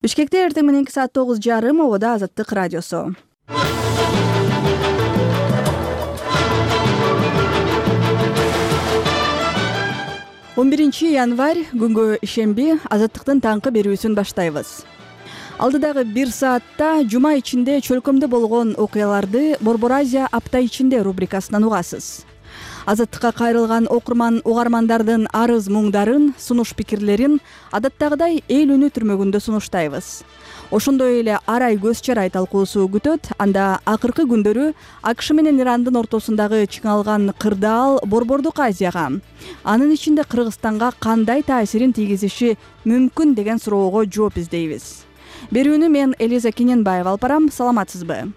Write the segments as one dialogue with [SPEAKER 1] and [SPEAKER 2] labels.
[SPEAKER 1] Бишкекте эртең мененки саат 9:30 обода Азаттык радиосу. Он 1 январь күнгө ишемби Азаттыктын таңкы берүүсүн баштайбыз. Алдыдагы 1 саатта жума ичинде чөлкөмдө болгон окуяларды Борбор Азия апта ичинде рубрикасынан угасыз. Азаттыкка кайрылган угармандардын арыз муңдарын, сунуш пикирлерин адаттагыдай эл үнү түрмөгүндө сунуштайбыз. Ошондой эле ар ай көз чарай талкуусу күтөт. Анда акыркы күндөрү АКШ менен Ирандын ортосундагы чыңалган кырдаал Борбордук Азияга, анын ичинде Кыргызстанга кандай таасирин тийгизиши мүмкүн деген суроого жооп издейбиз. Берүүнү мен Элиза Кененбаева алып барам. Саламатсызбы?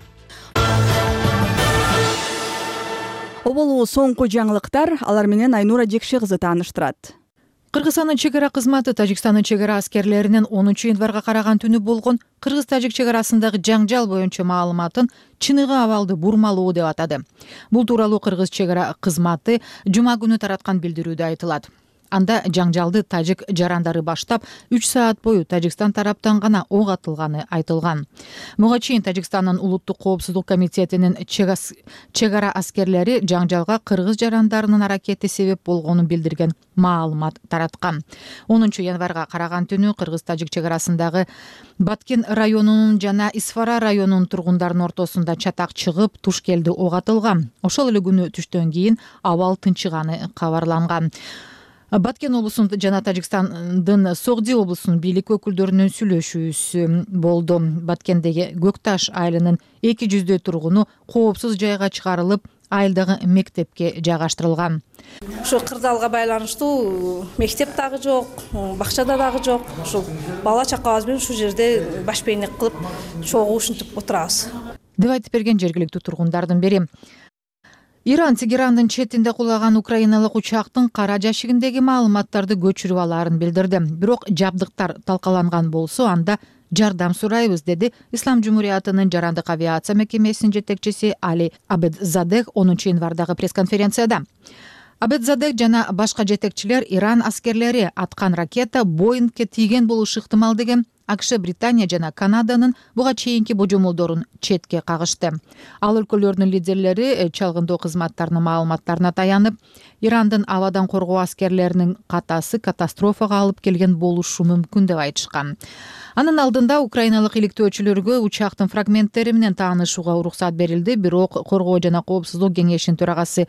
[SPEAKER 1] Оболу соңку жаңылыктар, алар менен Айнура Жекше кызы тааныштырат.
[SPEAKER 2] Кыргызстандын чек ара кызматы Тажикстандын чек ара аскерлеринин 10 январга караган түнү болгон Кыргыз-Тажик чек арасындагы жаңжал боюнча маалыматын чыныгы абалды бурмалоо деп атады. Бул тууралуу Кыргыз чек ара кызматы жума күнү тараткан билдирүүдө айтылат. Анда жаңжалды тажик жарандары баштап 3 саат бою Тажикстан тараптан гана ок атылганы айтылган. Буга чейин Тажикстандын улуттук коопсуздук комитетинин чек ара аскерлери жаңжалга кыргыз жарандарынын аракети себеп болгонун билдирген маалымат тараткан. 10 январга караган түнү Кыргыз-Тажик чек арасындагы Баткен районунун жана Исфара районунун тургундарынын ортосунда чатак чыгып, туш келди ок атылган. Ошол эле күнү түштөн кийин абал тынчыганы кабарланган. Баткен облусунун жана Тажикстандын Согди облусунун бийлик өкүлдөрүнүн сүйлөшүүсү болду. Баткендеги Көкташ айылынын 200 тургуну коопсуз жайга чыгарылып, айылдагы мектепке жайгаштырылган.
[SPEAKER 3] Ошо кырдаалга байланыштуу мектеп дагы жок, бакчада дагы жок. Ошол бала чакабыз менен ушул жерде баш бейнек кылып, чогуу ушинтип отурабыз,
[SPEAKER 2] деп айтып берген жергиликтүү тургундардын бири. Иран Тегерандын четинде кулаган украиналык учактын кара жашигиндеги маалыматтарды көчүрүп алаарын билдирди. Бирок жабдыктар талкаланган болсо, анда жардам сурайбыз, деди Ислам Жумуриятынын жарандык авиация мекемесинин жетекчиси Али Абедзадех 10 январдагы пресс-конференцияда. Абедзадех жана башка жетекчилер Иран аскерлери аткан ракета Боингке тийген болушу ыктымал деген АКШ, Британия жана Канаданын буга чейинки божомолдорун четке кагышты. Ал өлкөлөрдүн лидерлери чалгындоо кызматтарынын маалыматтарына таянып, Ирандын абадан коргоо аскерлеринин катасы катастрофага алып келген болушу мүмкүн деп айтышкан. Анын алдында украиналык иликтөөчүлөргө учактын фрагменттери менен таанышууга уруксат берилди, бирок Коргоо жана коопсуздук кеңешинин төрагасы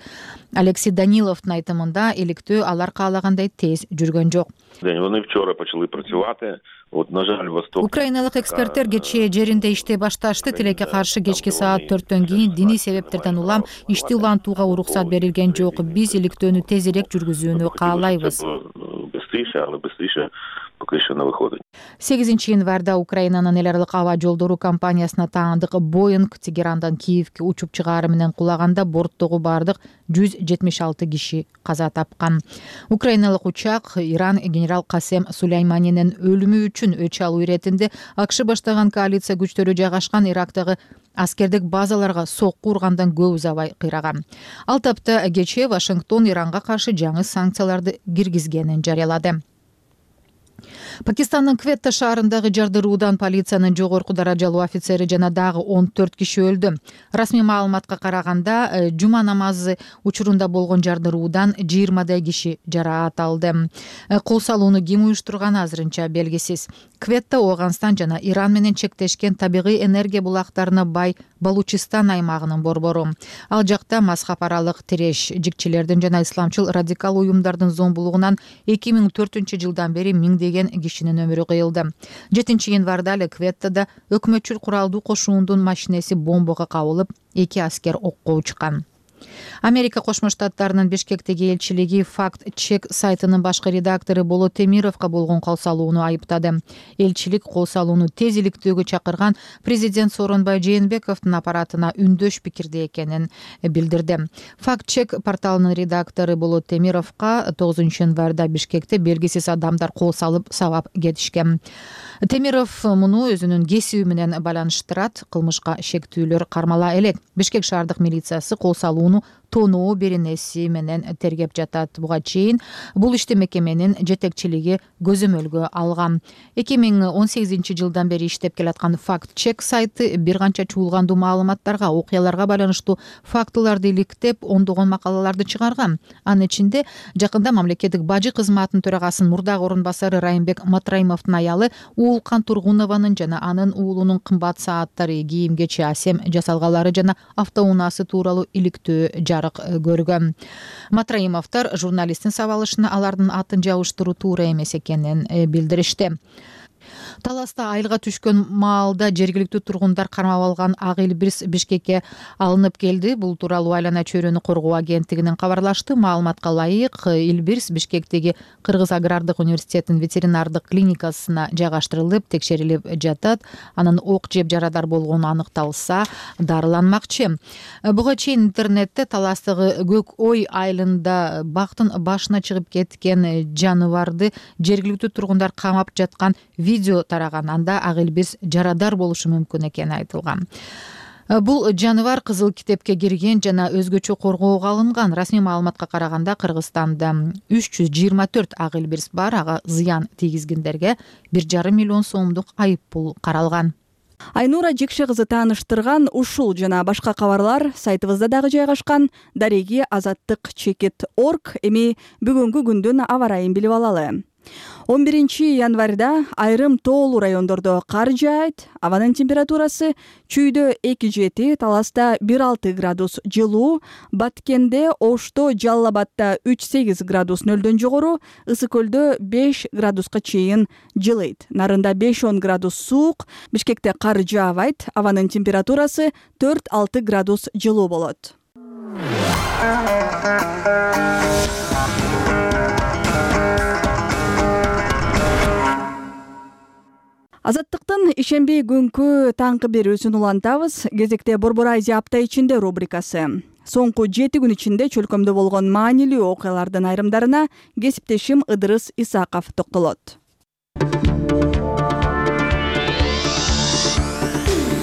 [SPEAKER 2] Алексей Даниловдун айтымында иликтөө алар каалагандай тез жүргөн жок. Украиналык эксперттер кечээ жеринде иштей башташты. Тилекке каршы кечки саат 4төн кийин диний себептерден улам ишти улантууга уруксат берилген жок. Биз иликтөөнү тезирээк жүргүзүүнү каалайбыз. 8 январда Украинанын эл аралык аба жолдору компаниясына таандык Боинг Тегерандан Киевке учуп чыгаары менен кулаганда борттогу бардык 176 киши каза тапкан. Украиналык учак Иран генерал Касем Сулейманинин өлүмү үчүн өч алуу иретинде АКШ баштаган коалиция күчтөрү жайгашкан Ирактагы аскердик базаларга сокку ургандан көп убай кыйраган. Ал тапта кечээ Вашингтон Иранга каршы жаңы санкцияларды киргизгенин жарыялады. Пакистандын Кветта шаарындагы жардыруудан полициянын жогорку даражалуу офицери жана дагы 14 киши өлдү. Расмий маалыматка караганда, жума намазы учурунда болгон жардыруудан 20 киши жараат алды. Кол салууну ким уюштурганы азырынча белгисиз. Кветта Ооганстан жана Иран менен чектешкен табигый энергия булактарына бай Балучистан аймагынын борбору. Ал жакта мазхаб аралык тиреш жикчилердин жана исламчыл радикал уюмдардын зомбулугунан 2004 жылдан бери миңдеген кишинин өмүрү кыйылды. 7 январда эле Кветтада өкмөтчүл куралдуу кошуундун машинеси бомбага кабылып, 2 аскер окко учкан. Америка Кошмо Штаттарынын Бишкектеги элчилиги факт-чек сайтынын башкы редактору Болот Темировго болгон кол салууну айыптады. Элчилик кол салууну тез иликтөөгө чакырган президент Сооронбай Жээнбековдун аппаратына үндөш пикирде экенин билдирди. Факт-чек порталынын редактору Болот Темировго 9 январда Бишкекте белгисиз адамдар кол салып сабап кетишкен. Темиров муну өзүнүн кесиби менен байланыштырат. Кылмышка шектүүлөр кармала элек. Бишкек шаардык милициясы кол салууну тоноо беренеси менен тергеп жатат. Буга чейин бул ишти мекеменин жетекчилиги көзөмөлгө алган. 2018 жылдан бери иштеп келаткан Fact Check сайты бир канча чуулгандуу маалыматтарга, окуяларга байланыштуу фактыларды иликтеп, ондогон макалаларды чыгарган. Анын ичинде жакында мамлекеттик бажы кызматынын төрагасынын мурдагы орун басары Райымбек Матраимовдун аялы Уулкан Тургунованын жана анын уулунун кымбат сааттары, кийим-кечи, асем жасалгалары жана автоунаасы тууралуу иликтөө жарык көргөн. Матраимовдор журналисттин сабалышына алардын атын жабыштыруу туура эмес экенин билдиришти. Таласта айылга түшкөн маалда жергиликтүү тургундар кармап алган Ак Илбирс Бишкекке алынып келди. Бул тууралуу Айлана чөйрөнү коргоо агенттигинен кабарлашты. Маалыматка ылайык, Илбирс Бишкектеги Кыргыз агрардык университетинин ветеринардык клиникасына жайгаштырылып, текшерилип жатат. Анын ок жеп жарадар болгону аныкталса, дарыланмакчы. Буга чейин интернетте Таластагы Көк Ой айылында бактын башына чыгып кеткен жаныбарды жергиликтүү тургундар камап жаткан видео тараган. Анда Ак Илбирс жарадар болушу мүмкүн экени айтылган. Бул жаныбар Кызыл китепке кирген жана өзгөчө коргоого алынган. Расмий маалыматка караганда Кыргызстанда 324 Ак Илбирс бар. Ага зыян тийгизгендерге 1,5 миллион сомдук айып пул каралган.
[SPEAKER 1] Айнура Жекше кызы тааныштырган ушул жана башка кабарлар сайтыбызда дагы жайгашкан. Дареги азаттык чекит.org. Эми бүгүнкү күндүн аба ырайын билип алалы. 11 январда айрым тоолуу райондордо кар жаайт. Абанын температурасы чүйдө 2,7, Таласта 1,6 градус жылуу, Баткенде, Ошто, Жалал Абадда 3,8 градус нөлдөн жогору, Ысык көлдө 5 градуска чейин жылыйт. Нарында 5-10 градус суук, Бишкекте кар жаабайт. Абанын температурасы 4-6 градус жылуу болот. Азаттыктын ишемби күнкү таңкы берүүсүн улантабыз. Кезекте Борбор Азия апта ичинде рубрикасы. Соңку 7 күн ичинде чөлкөмдө болгон маанилүү окуялардын айрымдарына кесиптешим Ыдырыс Исаков токтолот.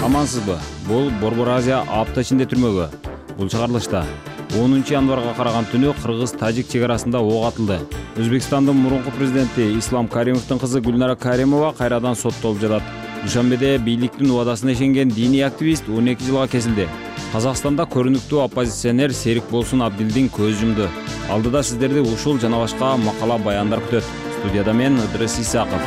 [SPEAKER 4] Амансызбы? Бул Борбор Азия апта ичинде түрмөгө. Бул чыгарылышта 10 январга караган түнү Кыргыз-Тажик чек арасында ок атылды. Өзбекстандын мурунку президенти Ислам Каримовдун кызы Гүлнара Каримова кайрадан соттолуп жатат. Душанбеде бийликтин убадасына ишенген диний активист 12 жылга кесилди. Казакстанда көрүнүктүү оппозиционер Серик Болсун Абдилдин көз жумду. Алдыда сиздерди ушул жана башка макала баяндар күтөт. Студияда мен Ыдырыс Исаков.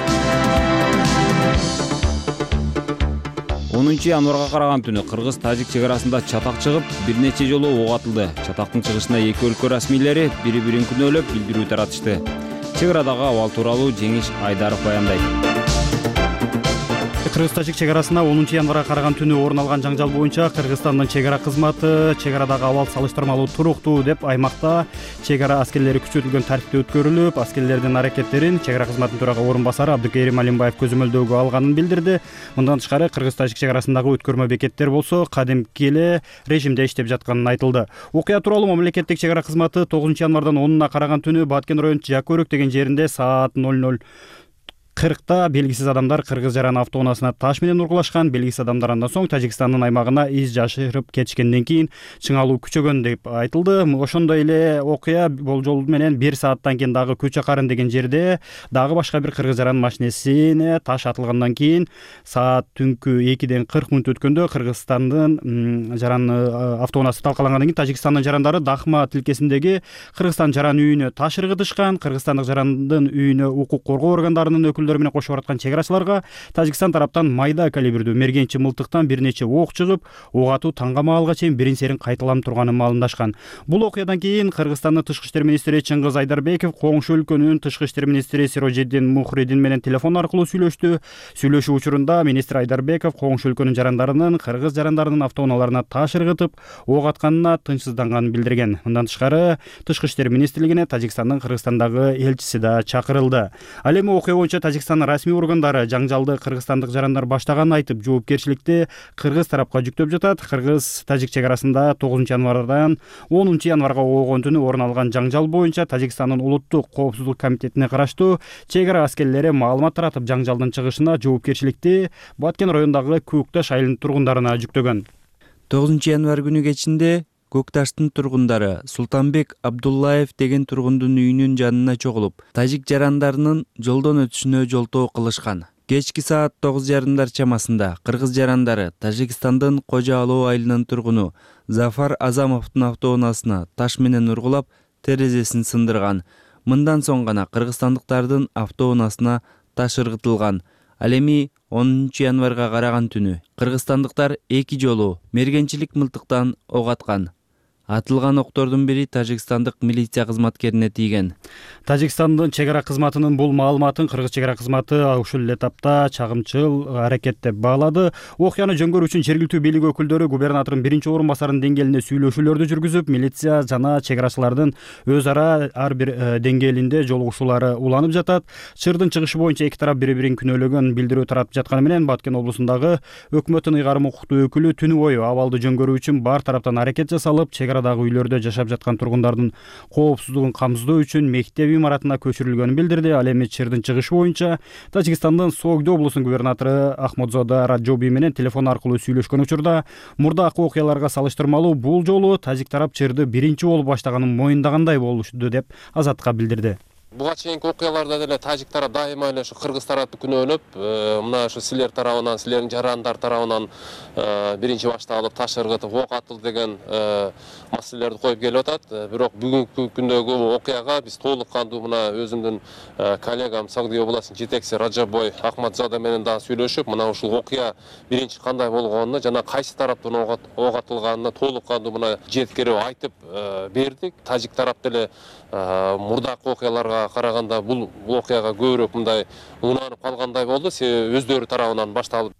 [SPEAKER 4] 10 январга караган түнү Кыргыз-Тажик чек арасында чатак чыгып, бир нече жолу ок атылды. Чатактын чыгышына эки өлкө расмийлери бири-бирин күнөөлөп билдирүү таратышты. Чек арадагы абал тууралуу Жеңиш Айдаров баяндайт.
[SPEAKER 5] Кыргыз-Тажик чек арасында 10 январга караган түнү орун алган жаңжал боюнча Кыргызстандын чек ара кызматы чек арадагы абал салыштырмалуу туруктуу деп аймакта чек ара аскерлери күчөтүлгөн тартипте өткөрүлүп, аскерлердин аракеттерин чек ара кызматынын төрага орун басары Абдыкерим Алимбаев көзөмөлдөөгө алганын билдирди. Мындан тышкары Кыргыз-Тажик чек арасындагы өткөрмө бекеттер болсо кадимки эле режимде иштеп жатканын айтылды. Окуя тууралуу мамлекеттик чек ара кызматы 9 январдан 10-уна караган түнү Баткен районунун Жакөрөк деген жеринде саат 00:40 белгисиз адамдар кыргыз жаран автоунаасына таш менен ургулашкан. Белгисиз адамдар андан соң Тажикстандын аймагына из жашырып кетишкенден кийин чыңалуу күчөгөн деп айтылды. Ошондой эле окуя болжол менен 1 сааттан кийин дагы Көчө Карын деген жерде дагы башка бир кыргыз жаран машинесине таш атылгандан кийин саат түнкү 2ден 40 мүнөт өткөндө Кыргызстандын жаран автоунаасы талкалангандан кийин Тажикстандын жарандары Дахма тилкесиндеги Кыргызстан жаран үйүнө таш ыргытышкан. Кыргызстандык жарандын үйүнө укук коргоо органдарынын менен кошуп бараткан чек арачыларга Тажикстан тараптан майда калибрдүү мергенчи мылтыктан бир нече ок чыгып, ок атуу таңга маалга чейин бирин серин кайталанып турганы маалымдашкан. Бул окуядан кийин Кыргызстандын тышкы иштер министри Чыңгыз Айдарбеков коңшу өлкөнүн тышкы иштер министри Сирожиддин Мухридин менен телефон аркылуу сүйлөштү. Сүйлөшүү учурунда министр Айдарбеков коңшу өлкөнүн жарандарынын кыргыз жарандарынын автоунааларына таш ыргытып, ок атканына тынчсызданганын билдирген. Мындан тышкары тышкы иштер министрлигине Тажикстандын Кыргызстандагы элчиси да чакырылды. Ал эми окуя боюнча Тажикстандын расмий органдары жаңжалды кыргызстандык жарандар баштаганын айтып, жоопкерчиликти кыргыз тарапка жүктөп жатат. Кыргыз-Тажик чек арасында 9 январдан 10 январга болгон түнү орун алган жаңжал боюнча Тажикстандын улуттук коопсуздук комитетине караштуу чек ара аскерлери маалымат таратып, жаңжалдын чыгышына жоопкерчиликти Баткен районундагы Көкташ айылынын тургундарына жүктөгөн.
[SPEAKER 6] 9 январ күнү кечинде Көк Таштын тургундары Султанбек Абдуллаев деген тургундун үйүнүн жанына чогулуп, тажик жарандарынын жолдон өтүшүнө жолтоо кылышкан. Кечки саат 9:30 чамасында кыргыз жарандары Тажикстандын Кожо Алоо айылынын тургуну Зафар Азамовдун автоунаасына таш менен ургулап, терезесин сындырган. Мындан соң гана кыргызстандыктардын автоунаасына таш ыргытылган. Ал эми 10 январга караган түнү кыргызстандыктар 2 жолу мергенчилик мылтыктан ок аткан. Атылган октордун бири тажикстандык милиция кызматкерине тийген.
[SPEAKER 5] Тажикстандын чек ара кызматынын бул маалыматын кыргыз чек ара кызматы ушул эле тапта чагымчыл аракет деп баалады. Окуяны жөнгөрүү үчүн жергиликтүү бийлик өкүлдөрү губернатордун биринчи орун басарынын деңгээлинде сүйлөшүүлөрдү жүргүзүп, милиция жана чек арачылардын өз ара ар бир деңгээлинде жолугушуулары уланып жатат. Чырдын чыгышы боюнча эки тарап бири-бирин күнөөлөгөн билдирүү таратып жатканы менен Баткен облусундагы өкмөттүн ыйгарым укуктуу өкүлү түнү бою абалды жөнгөрүү үчүн бар тараптан аракет жасалып, чек арадагы үйлөрдө жашап жаткан тургундардын коопсуздугун камсыздоо үчүн мектеп имаратына көчүрүлгөнүн билдирди. Ал эми Чырдын чыгышы боюнча Тажикстандын Согдо облусунун губернатору Ахмадзода Раджоби менен телефон аркылуу сүйлөшкөн учурда мурдакы окуяларга салыштырмалуу бул жолу тажик тарап Чырды биринчи болуп баштаганын моюндагандай болушту деп Азатка билдирди.
[SPEAKER 7] Буга чейинки окуяларда деле тажик тарап дайыма эле ушу кыргыз тарапты күнөөлөп, мына ушу силер тарабынан, силердин жарандар тарабынан биринчи башталып таш ыргытып ок атылды деген маселелерди коюп келип атат. Бирок бүгүнкү күндөгү окуяга биз толук кандуу мына өзүмдүн коллегам Согдо областынын жетекчиси Раджабой Ахмадзода менен дагы сүйлөшүп, мына ушул окуя биринчи кандай болгонуна жана кайсы тараптан ок атылганына толук кандуу мына жеткирип айтып бердик. Тажик тарап деле мурдакы окуяларга караганда бул окуяга көбүрөөк мындай унаанып калгандай болду, себеби өздөрү тарабынан башталып.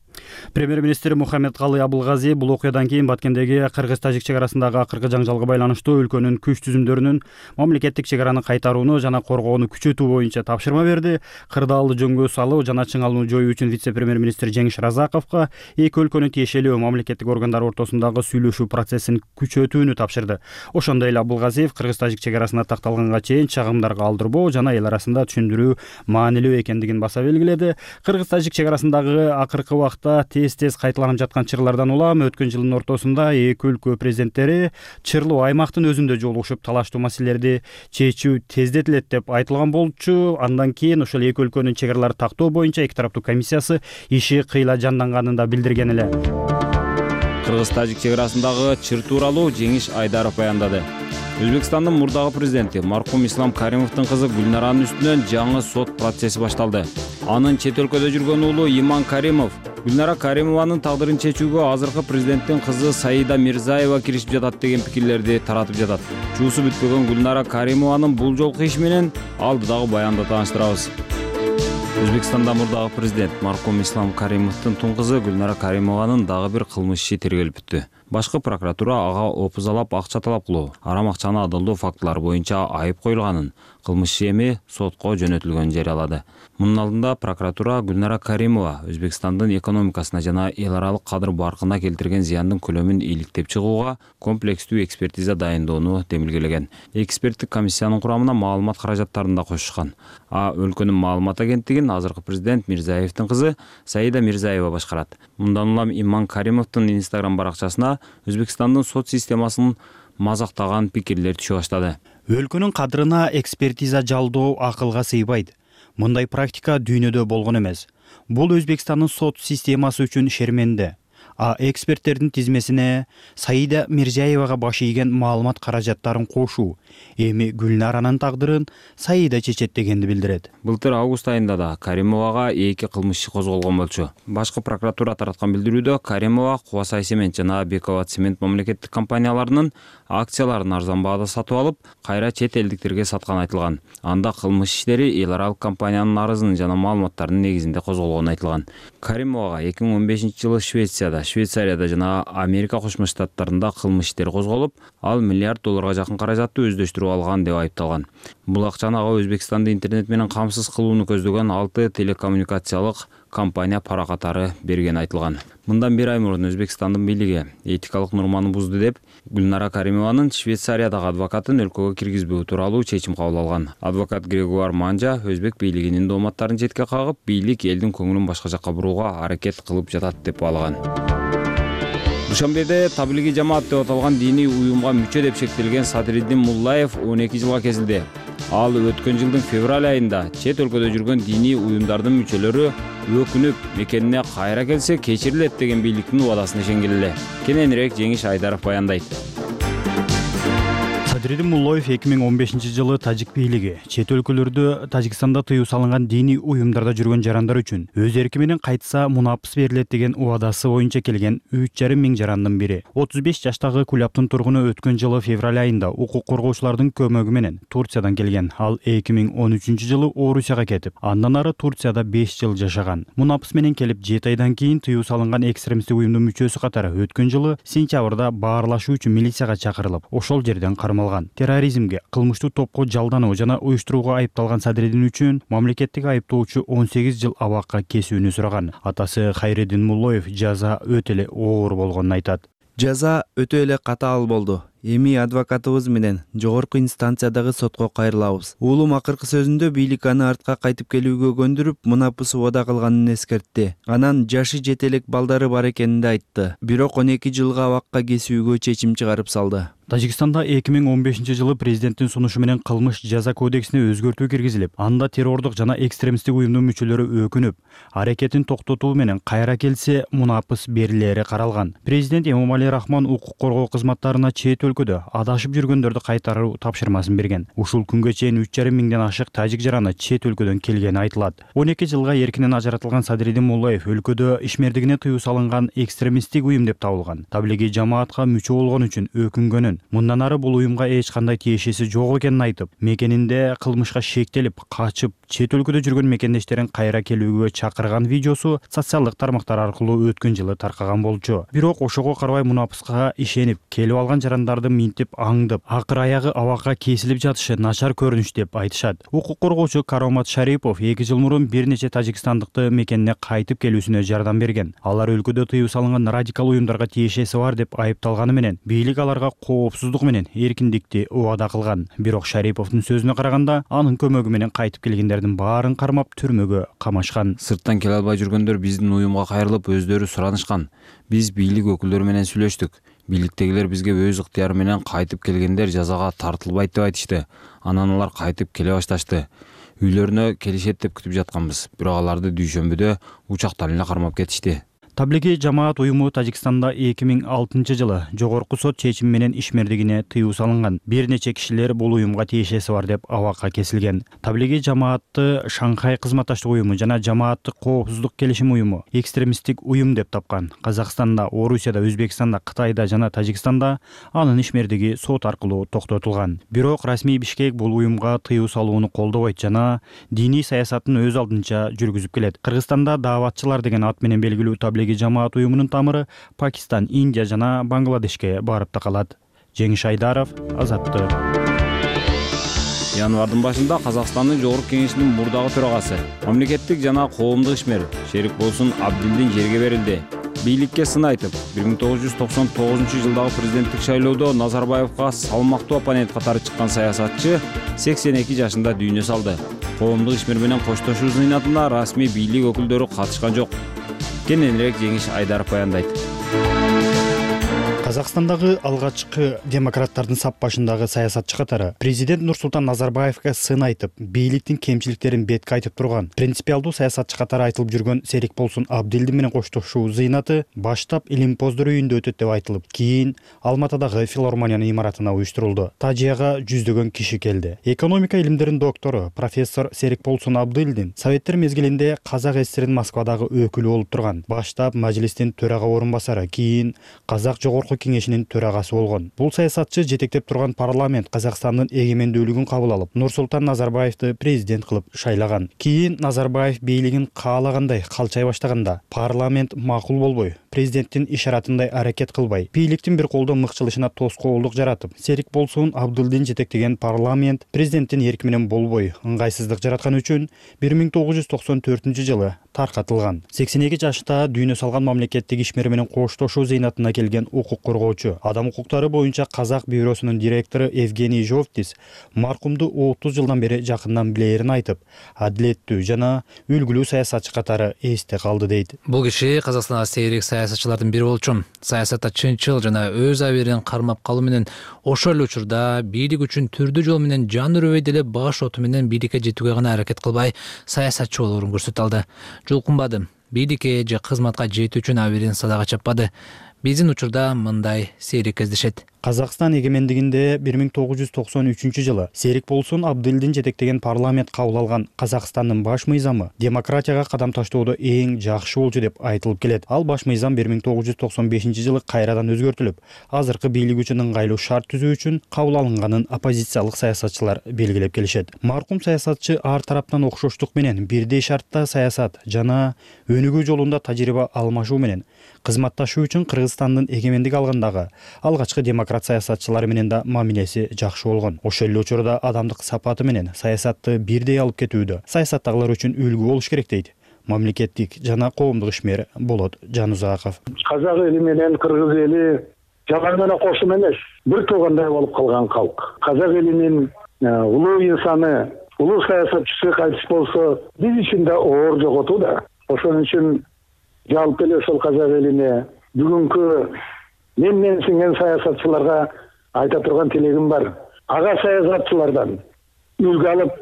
[SPEAKER 5] Премьер-министр Мухаммедкалый Абылгази бул окуядан кийин Баткендеги кыргыз-тажик чек арасындагы акыркы жаңжалга байланыштуу өлкөнүн күч түзүмдөрүнүн мамлекеттик чек араны кайтарууну жана коргоону күчөтүү боюнча тапшырма берди. Кырдаалды жөнгө салуу жана чыңалууну жоюу үчүн вице-премьер-министр Жеңиш Разаковго эки өлкөнүн тиешелүү мамлекеттик органдары ортосундагы сүйлөшүү процессин күчөтүүнү тапшырды. Ошондой эле Абылгазиев кыргыз-тажик чек арасына такталганга чейин чагымдарга алдырбоо жана эл арасында түшүндүрүү маанилүү экендигин баса белгиледи. Кыргыз-тажик чек арасындагы акыркы убакта тез-тез кайталанып жаткан чырлардан улам өткөн жылдын ортосунда эки өлкө президенттери чырлуу аймактын өзүндө жолугушуп талаштуу маселелерди чечүү тездетилет деп айтылган болчу. Андан кийин ошол эки өлкөнүн чек араларын тактоо боюнча эки тараптуу комиссиясы иши кыйла жанданганын да билдирген эле.
[SPEAKER 4] Кыргыз-тажик чек арасындагы чыр тууралуу Жеңиш Айдаров баяндады. Өзбекстандын мурдагы президенти маркум Ислам Каримовдун кызы Гүлнаранын үстүнөн жаңы сот процесси башталды. Анын чет өлкөдө жүргөн уулу Иман Каримов Гүлнара Каримованын тагдырын чечүүгө азыркы президенттин кызы Саида Мирзаева киришип жатат деген пикирлерди таратып жатат. Чуусу бүткөгөн Гүлнара Каримованын бул жолку иши менен алдыдагы баянды тааныштырабыз. Өзбекстанда мурдагы президент маркум Ислам Каримовдун тун кызы Гүлнара Каримованын дагы бир кылмыш иши тергелип бүттү. Башкы прокуратура ага опузалап акча талап кылуу, арам акчаны адалдоо фактылары боюнча айып коюлганын, кылмыш иши эми сотко жөнөтүлгөнүн жарыялады. Мунун алдында прокуратура Гүлнара Каримова Өзбекстандын экономикасына жана эл аралык кадыр баркына келтирген зыяндын көлөмүн иликтеп чыгууга комплекстүү экспертиза дайындоону демилгелеген. Эксперттик комиссиянын курамына маалымат каражаттарын да кошушкан. Өлкөнүн маалымат агенттигин азыркы президент Мирзаевдин кызы Саида Мирзаева башкарат. Мындан улам Иман Каримовдун Instagram баракчасына Өзбекстандын сот системасын мазактаган пикирлер түшө баштады.
[SPEAKER 5] Өлкөнүн кадырына экспертиза жалдоо акылга сыйбайт. Мындай практика дүйнөдө болгон эмес. Бул Өзбекстандын сот системасы үчүн шерменде. Эксперттердин тизмесине Саида Мирзаевага баш ийген маалымат каражаттарын кошуу эми Гүлнаранын тагдырын Саида чечет дегенди билдирет.
[SPEAKER 4] Былтыр август айында да Каримовага эки кылмыш иши козголгон болчу. Башкы прокуратура тараткан билдирүүдө Каримова Кубасай цемент жана Бекова цемент мамлекеттик компанияларынын акцияларын арзан баада сатып алып, кайра чет элдиктерге сатканы айтылган. Анда кылмыш иштери эл аралык компаниянын арызынын жана маалыматтарынын негизинде козголгону айтылган. Каримовага 2015-жылы Швейцарияда жана Америка Кошмо Штаттарында кылмыш иштери козголуп, ал $1 миллиард жакын каражатты өздөштүрүп алган деп айыпталган. Бул акчаны ага Өзбекстанды интернет менен камсыз кылууну көздөгөн 6 телекоммуникациялык компания пара катары берген айтылган. Мындан бир ай мурун Өзбекстандын бийлиги этикалык норманы бузду деп Гүлнара Каримованын Швейцариядагы адвокатын өлкөгө киргизбөө тууралуу чечим кабыл алган. Адвокат Грегуар Манжа өзбек бийлигинин дооматтарын четке кагып, бийлик элдин көңүлүн башка жакка бурууга аракет кылып жатат деп баалаган. Душанбеде таблиги жамаат деп аталган диний уюмга мүчө деп шектелген Садриддин Муллаев 12 жылга кезилди. Ал өткөн жылдын февраль айында чет өлкөдө жүргөн диний уюмдардын мүчөлөрү өкүнүп мекенине кайра келсе кечирилет деген бийликтин убадасына ишенген эле. Кененирээк Жеңиш Айдаров баяндайт.
[SPEAKER 5] Садриддин Муллаев 2015 жылы тажик бийлиги чет өлкөлөрдө Тажикстанда тыюу салынган диний уюмдарда жүргөн жарандар үчүн өз эрки менен кайтса мунапыс берилет деген убадасы боюнча келген 3,5 миң жарандын бири. 35 жаштагы Кулябтын тургуну өткөн жылы февраль айында укук коргоочулардын көмөгү менен Турциядан келген. Ал 2013 жылы Орусияга кетип, андан ары Турцияда 5 жыл жашаган. Мунапыс менен келип 7 айдан кийин тыюу салынган экстремисттик уюмдун мүчөсү катары өткөн жылы сентябрда баарлашуу үчүн милицияга чакырылып, ошол жерден кармалган. Терроризмге, кылмыштуу топко жалдануу жана уюштурууга айыпталган Садриддин үчүн мамлекеттик айыптоочу 18 жыл абакка кесүүнү сураган. Атасы Хайреддин Муллаев жаза өтө эле оор болгонун айтат.
[SPEAKER 6] Жаза өтө эле катаал болду. Эми адвокатыбыз менен жогорку инстанциядагы сотко кайрылабыз. Уулум акыркы сөзүндө бийлик аны артка кайтып келүүгө көндүрүп, мунапыс убада кылганын эскертти. Анан жашы жете элек балдары бар экенин айтты. Бирок 12 жылга абакка кесүүгө чечим чыгарып салды.
[SPEAKER 5] Тажикстанда 2015 жылы президенттин сунушу менен кылмыш жаза кодексине өзгөртүү киргизилип, анда террордук жана экстремисттик уюмдун мүчөлөрү өкүнүп, аракетин токтотуу менен кайра келсе мунапыс берилери каралган. Президент Эмомали Рахмон укук коргоо кызматтарына чет өлкөдө адашып жүргөндөрдү кайтаруу тапшырмасын берген. Ушул күнгө чейин 3,5 миңден ашык тажик жараны чет өлкөдөн келгени айтылат. 12 жылга эркинен ажыратылган Садриддин Муллаев өлкөдө ишмердигине тыюу салынган экстремисттик уюм деп табылган. Таблиги жамаатка мүчө болгон үчүн өкүнгөнүн, мындан ары бул уюмга эч кандай тиешеси жок экенин айтып, мекенинде кылмышка шектелип, качып, чет өлкөдө жүргөн мекендештерин кайра келүүгө чакырган видеосу социалдык тармактар аркылуу өткөн жылы таркаган болчу. Бирок ошого карабай мунапыска ишенип, келип алган жарандарды минтип аңдып, акыр аягы абакка кесилип жатышы начар көрүнүш деп айтышат. Укук коргоочу Каромат Шарипов 2 жыл мурун бир нече тажикстандыкты мекенине кайтып келүүсүнө жардам берген. Алар өлкөдө тыюу салынган радикал уюмдарга тиешеси бар деп айыпталганы менен бийлик аларга коопсуздук менен эркиндикти убада кылган. Бирок Шариповдун сөзүнө караганда, анын көмөгү менен кайтып келгендердин баарын кармап түрмөгө камашкан.
[SPEAKER 4] Сырттан келе албай жүргөндөр биздин уюмга кайрылып өздөрү суранышкан. Биз бийлик өкүлдөрү менен сүйлөштүк. Бийликтегилер бизге өз ыктыяры менен кайтып келгендер жазага тартылбайт деп айтышты. Анан алар кайтып келе башташты. Үйлөрүнө келишет деп күтүп жатканбыз. Бирок аларды дүйшөмбүдө учактан эле кармап кетишти.
[SPEAKER 5] Таблиги жамаат уюму Тажикстанда 2006 жылы жогорку сот чечими менен ишмердигине тыюу салынган. Бир нече кишилер бул уюмга тиешеси бар деп абакка кесилген. Таблиги жамаатты Шанхай кызматташтык уюму жана жамааттык коопсуздук келишим уюму экстремисттик уюм деп тапкан. Казакстанда, Орусияда, Өзбекстанда, Кытайда жана Тажикстанда анын ишмердиги сот аркылуу токтотулган. Бирок расмий Бишкек бул уюмга тыюу салууну колдобойт жана диний саясатын өз алдынча жүргүзүп келет. Кыргызстанда дааватчылар деген ат менен белгилүү таблиги жамаат уюмунун тамыры Пакистан, Индия жана Бангладешке барып такалат. Жеңиш Айдаров, Азаттык.
[SPEAKER 4] Январдын башында Казакстандын Жогорку Кеңешинин мурдагы төрагасы, мамлекеттик жана коомдук ишмер Шерикболсун Абдилдин жерге берилди. Бийликке сын айтып, 1999 жылдагы президенттик шайлоодо Назарбаевга салмактуу оппонент катары чыккан саясатчы 82 жашында дүйнө салды. Коомдук ишмер менен коштошуу зыйнатына расмий бийлик өкүлдөрү катышкан жок. Кененирээк Жеңиш Айдаров баяндайт.
[SPEAKER 5] Казакстандагы алгачкы демократтардын сап башындагы саясатчы катары президент Нурсултан Назарбаевга сын айтып, бийликтин кемчиликтерин бетке айтып турган принципиалдуу саясатчы катары айтылып жүргөн Серикболсун Абдилдин менен коштошуу зыйнаты баштап Илимпоздор үйүндө өтөт деп айтылып, кийин Алматыдагы филармониянын имаратына уюштурулду. Тажияга жүздөгөн киши келди. Экономика илимдеринин доктору профессор Серикболсун Абдилдин Советтер мезгилинде Казак ССРинин Москвадагы өкүлү болуп турган. Баштап мажлистин төрага орун басары, кийин Казак Жогорку Кеңешинин төрагасы болгон. Бул саясатчы жетектеп турган парламент Казакстандын эгемендүүлүгүн кабыл алып, Нурсултан Назарбаевди президент кылып шайлаган. Кийин Назарбаев бийлигин каалагандай калчай баштаганда, парламент макул болбой, президенттин ишаратындай аракет кылбай, бийликтин бир колдо мыкчылышына тоскоолдук жаратып, Серикболсун Абдилдин жетектеген парламент президенттин эрки менен болбой, ыңгайсыздык жараткан үчүн 1994-жылы таркатылган. 82 жашта дүйнө салган мамлекеттик ишмер менен коштошуу зыйнатына келген укук коргоочу, адам укуктары боюнча Казак бюросунун директору Евгений Жовтис маркумду 30 жылдан бери жакындан билээрин айтып, адилеттүү жана үлгүлүү саясатчы катары эсте калды дейт.
[SPEAKER 8] Бул киши Казакстандагы сейрек саясатчылардын бири болчумун. Саясатта чынчыл жана өз абийирин кармап калуу менен ошол эле учурда бийлик үчүн түрдүү жол менен жан үрөбөй деле баш оту менен бийликке жетүүгө гана аракет кылбай, саясатчы болоорун көрсөтө алды. Жулкунбады. Бийликке же кызматка жетүү үчүн абийирин садага чаппады. Биздин учурда мындай сейрек кездешет.
[SPEAKER 5] Казакстан эгемендигинде 1993-жылы Серик Болсун Абдылдин жетектеген парламент кабыл алган Казакстандын баш мыйзамы демократияга кадам таштоодо эң жакшы болчу деп айтылып келет. Ал баш мыйзам 1995-жылы кайрадан өзгөртүлүп, азыркы бийлик үчүн ыңгайлуу шарт түзүү үчүн кабыл алынганын оппозициялык саясатчылар белгилеп келишет. Маркум саясатчы ар тараптан окшоштук менен бирдей шартта саясат жана өнүгүү жолунда тажрыйба алмашуу менен кызматташуу үчүн Кыргызстандын эгемендик алгандагы алгачкы демократ саясатчылары менен да мамилеси жакшы болгон. Ошол эле учурда адамдык сапаты менен саясатты бирдей алып кетүүдө саясаттагылар үчүн үлгү болуш керек дейт мамлекеттик жана коомдук ишмер Болот Жанузаков.
[SPEAKER 9] Казак эли менен кыргыз эли жалаң гана кошум эмес, бир туугандай болуп калган калк. Казак элинин улуу инсаны, улуу саясатчысы кайтыш болсо, биз үчүн да оор жоготуу да. Ошон үчүн жалпы эле ошол казак элине бүгүнкү мен сиңген саясатчыларга айта турган тилегим бар. Ага саясатчылардан үлгү алып,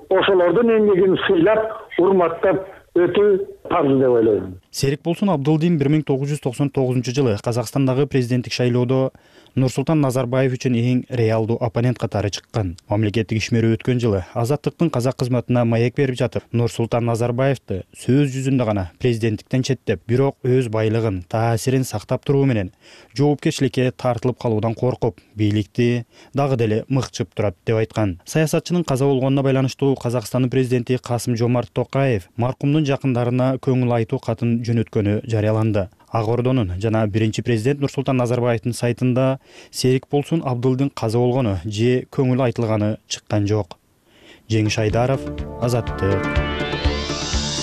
[SPEAKER 9] ошолордун эмгегин сыйлап, урматтап өтүү парз деп ойлойм.
[SPEAKER 5] Серик Болсун Абдылдин 1999-жылы Казакстандагы президенттик шайлоодо Нурсултан Назарбаев үчүн эң реалдуу оппонент катары чыккан. Мамлекеттик ишмер өткөн жылы Азаттыктын казак кызматына маек берип жатып, Нурсултан Назарбаевди сөз жүзүндө гана президенттиктен четтеп, бирок өз байлыгын, таасирин сактап туруу менен жоопкерчиликке тартылып калуудан коркуп, бийликти дагы деле мыкчып турат деп айткан. Саясатчынын каза болгонуна байланыштуу Казакстандын президенти Касым-Жомарт Токаев маркумдун жакындарына көңүл айтуу катын жөнөткөнү жарыяланды. Ак Ордонун жана биринчи президент Нурсултан Назарбаевдин сайтында Серик Болсун Абдылдин каза болгону же көңүл айтылганы чыккан жок. Жеңиш Айдаров, Азаттык.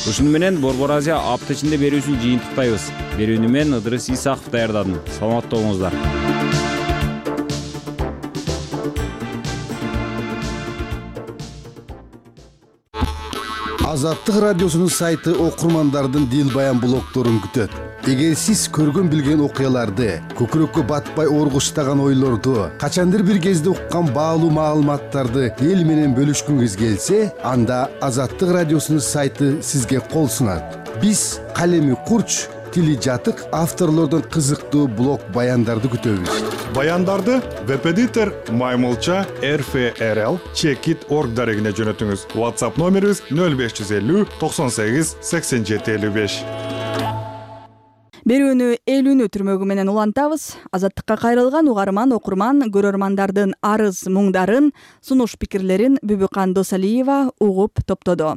[SPEAKER 4] Ушуну менен Борбор Азия апта ичинде берүүсүн жыйынтыктайбыз. Берүүнү мен Ыдырыс Исаков даярдадым. Саламатта болуңуздар.
[SPEAKER 10] Азаттык радиосунун сайты окурмандардын дил баян блогдорун күтөт. Эгер сиз көргөн билген окуяларды, көкүрөккө батпай оргуштаган ойлорду, качандыр бир кезде уккан баалуу маалыматтарды эл менен бөлүшкүңүз келсе, анда Азаттык радиосунун сайты сизге кол сунат. Биз калеми курч, тили жатык авторлордон кызыктуу блог баяндарды күтөбүз.
[SPEAKER 11] Баяндарды веб-эдитор Маймылча RFRL Checkit.org дарегине жөнөтүңүз. WhatsApp номерибиз 0550 98 87 55.
[SPEAKER 1] Берүүнү элүүнү түрмөгү менен улантабыз. Азаттыкка кайрылган угарман, окурман, көрөрмандардын арыз муңдарын, сунуш пикирлерин Бүбүкан Досалиева угуп топтоду.